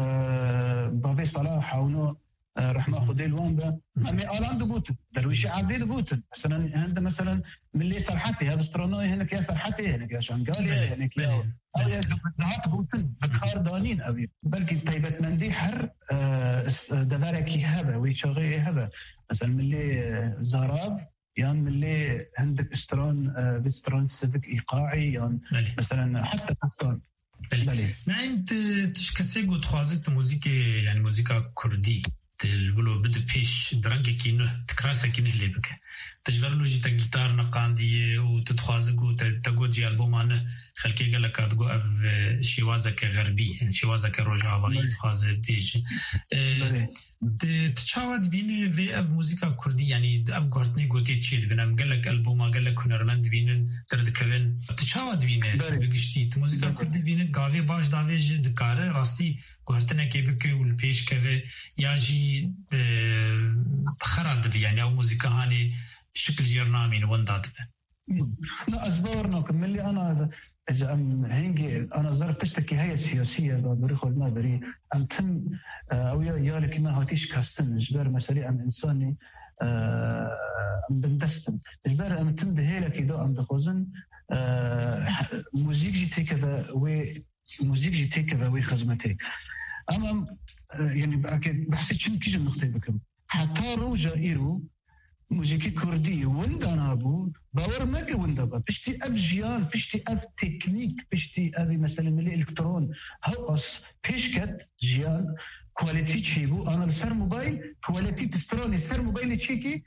Bavê Salah, hewno, e, rehma Xwedê li wan be. Em ê Alan digotin, Derwîşê Ebdî digotin. Meselen, hende, meselen, milê Serhetê, hev stranayê hinek ya Serhetê, hinek ya Şengalê, Belê, hinek ya, belê, ew ya belê. dihat gotin, bi kar danîn ew ê. Belkî taybetmendî her, e, s-, deverekî hebe, wê çaxê hebe. Meselen, milê, e, Zarav, yan milê hindik stran, e, vî stran sivik îqaî, yan Belê. meselen, heta destan. Belê. Belê. Naîm, tu, tu ji kesê ku dixwazî tu muzîkê, yanî muzîka kurdî, tu li wilo bide pêş, bi rengekî nuh, tu kirasekî nuh lê bike. Tu ji ber wilo jî te gîtar neqandiye û tu dixwaze ku te, te got jî alboma nuh, xelkê gelek a digot ev, e, şêwazeke xerbî, yani şêwazeke rojavayî Belê. dixwaze bêje. E, Belê. Di, tu çawa dibînî vê ev muzîka kurdî, yanî di ev guhertinê gotiyê çê dibin? Em gelek alboma, gelek hunermend dibînin, derdikevin. Tu çawa dibînî Belê. bi giştî? Tu muzîka Belê. kurdî dibînî, gavê baş davê jî dikare rastî guhertinekê bike û li pêş keve, ya jî, e, xera dibe, yanî ew muzîka hanê şikil jêr namîne, winda dibe. Na, ez bawer nakim. Milî ana, ez, em hingê ana zerf tiştekî heye siyasî ye, berî xwe naberî. Em tim, e, ew ya, yalekî me hatî şikestin. Ji ber meselê em însanî, e, em bindest in. Ji ber em tim di hêlekî de em dixwazin, e, muzîk jî têkeve wê, muzîk jî têkeve wê xizmetê. Em, em, e, yanî, eke behsê çi, kîjan nuqteyê bikim? Heta roja îro muzîkê kurdî winda nabû, bawer meke winda be. Piştî ev jiyan, piştî ev teknîk, piştî ev meselê milî elektron, hewqas pêş ket jiyan, quality çêbû, ana li ser mobayl, quality di stranê ser mobaylê çêkî,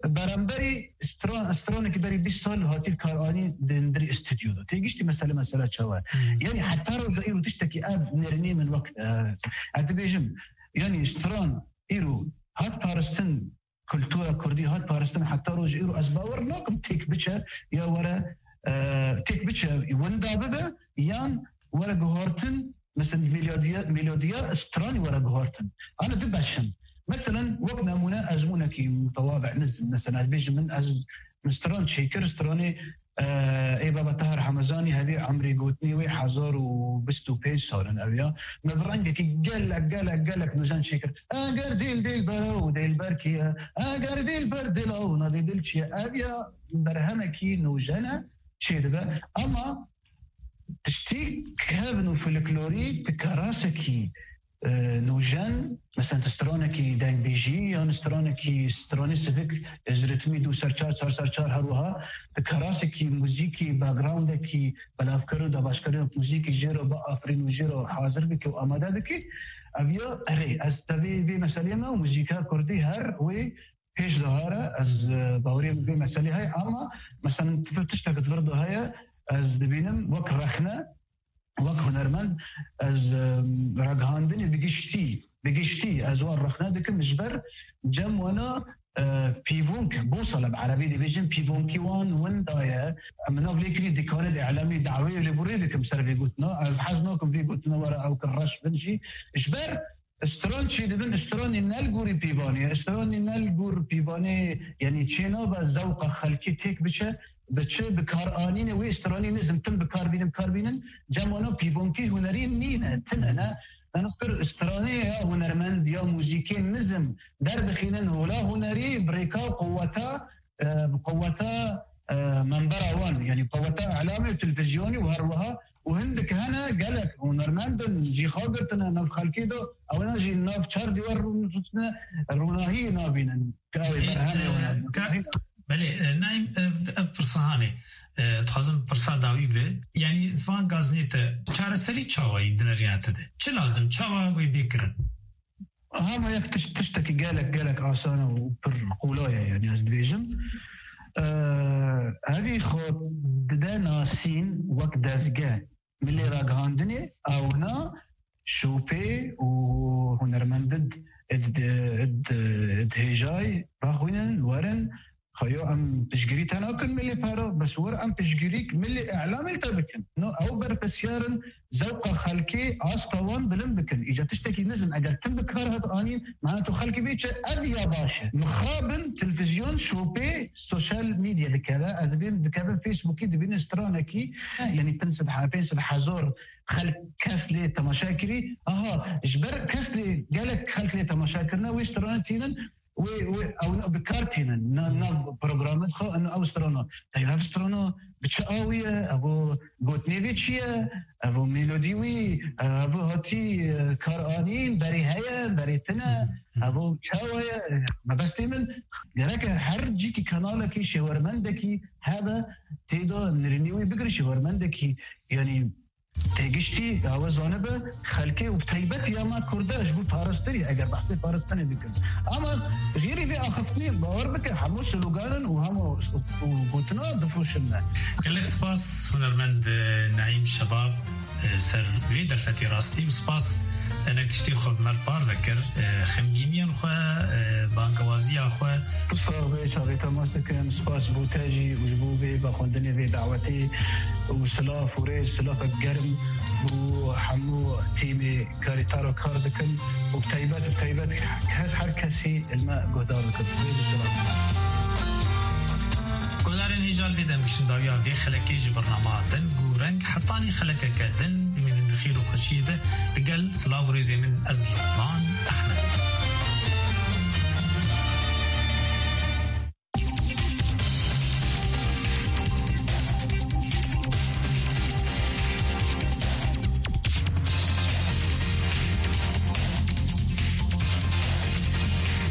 beramberî stran-, stranekî berî bîst sal hatî karanî di hundirî stûdyo de. Tê giştî mesele, mesele çawa ye? Hmm. Yanî heta roja îro tiştekî ev nêrînê min wek, e, ez dibêjim, yanî stran îro hat parastin, kultura kurdî hat parastin heta roj îro, ez bawer nakim têk biçe ya were, e, têk biçe winda bibe yan were guhartin, mesela melodiya, melodiya stranî were guhartin. Ana du beş in. Mesela wek nemûne ezmûnekî mutewazî nizm. Mesela ez bêjim min ez min stran çêkir, stranê, e, ê baba Tahir Hemezanî, hevî emrê gotinê wê hezar û bîst û pênc sal in ev ya. Me bi rengekî gelek, gelek, gelek nûjen çêkir. Eger dil dilber û dilber kî ye, eger dilber dil ew navê dil çi ye? Ev ya berhemekî nûjen e, çêdibe. Ama tiştî kevn û folklorî di karasekî, e, nûjen, mesela tu stranekî dengbêjî yan stranekî, stranê sivik, e, ji ritmî du ser çar, çar ser çar her wiha di karasekî muzîkî, backgroundekî, belavkir û dabeşkirina muzîkî jê re biafirîn û jê re hazir bike û amade bike, ev ya erê, ez tevî vê meselê me û muzîka kurdî her wê pêş de hare, ez, e, baweriyê min vê meselê heye, ama, mesela, tifir tiştek di vir de heye, ez dibînim wek rexne, wek hunermend, ez, e, ragihandinê bi giştî, bi giştî ez wan rexne dikim, ji ber cem wana, e, pîvonk, bosala bi erebî dibêjin, pîvonkî wan winda ye. Em nav lê kirî dîkanê de îlamî dawê lêborî dikim ser vê gotina. Ez hez nakim vê gotina were ew kir reş bin jî. Ji ber stran çêdibin, stranê ne li gorî pîvanê ye, stranê ne li gor pîvanê, yanî çê nabe zewqa xelkê têk biçe, bi çi, bi karanînê wê stranî nizm tim bi kar bînin, bi kar bînin, cem wana pîvonkî hunerî nîne, tune ne. Naniskir stranê ya hunermend ya muzîkê nizm derdixînin hola hunerî, bi rêka quweta, e, bi quweta, e, membera wan, yanî quweta îlamê û televîzyonî û her wiha û hindik hene gelek hunermend in, cî xwe girtine nav xelkê de, ewna jî nav çar dîwar rûniştine, rûnahiyê nabînin. Ka ew Ê, berhemê e, wan e. ka-, belê, e, Naîm, e, ev pirsa hanê, e, dixwazim pirsa dawî be. Yanî van gazinê te çareserî çawa yî di nerîna te de? Çi lazim? Çawa wê bê kirin? Hema yek tişt, tiştekî gelek, gelek asan e û pir qolay e, yanî ez dibêjim. Eee, evî xwe dide nasîn wek dezge milê ragihandinê, ewna şopê û hunermendid id, id, id hêjay raxwînin, werin, Xeyo em piştgirî te nakin milê pera, bes wir em piştgirîk milê îlamê li te bikin. No, ew berpirsyar in, zewqa xelkê asta wan bilind bikin. Îca tiştekî nizm eger tim bi kar hat anîn, mana tu xelkê bê çi ev ya baş e. Mixabin, televîzyon, şopê, sosyal medya dikeve, ez dibêm dikevin Facebookî, dibînin stranekî, yanî pênc sed he-, pênc sed hezar xelk kes lê temaşe kirî. Aha, ji ber kes lê, gelek xelk lê temaşe kirine, wê strane tînin, wê, wê, ew ne, bi kar tînin, na, nav programê xwe, ew, ew strana. Teyb ev strana bi çi awî ye? Ev o gotinê vê çi ye? Ev o melodî wî, ev o hatî, e, kar anîn, berê heye, berê tine, Hı hı. ev o çawa ye? Mebestê min, gereke her cîkî kanalekî, şêwermendekî hebe, tê de nirînê wî bigire, şêwermendekî, yanî, Têgiştî ya we zanibe xelkê û bi taybet ya me Kurda ji bo parastirî, eger behsê parastinê dikin. Ama jêrî vê axiftinê bawer bike hemû sloganin û hemû û gotina difiroşin me. Gelek spas hunermend, e, Naîm Şebab, e, ser vê derfetê rastî û spas denek tiştê xwe bi me re parve kir. E, xemgîniyên xwe, e, bangewaziya xwe. Sax be, çavê temaş dikin. Spas bo te jî û ji bo vê vexwendinê vê dawetê û silav û rêz, silavek germ bo hemû tîmê karî taro kar dikin û bi taybet, bi taybet kes, her kesî li me guhdar dikin. Rêz û silav. Guhdarên hêja, li vê demkişin dawiya vê xelekê ji bernama Deng û Reng hetanî xelekeke din bimînin di xêr û xweşiyê de. Li gel silav û rêzê min ez Luqman Ehmed.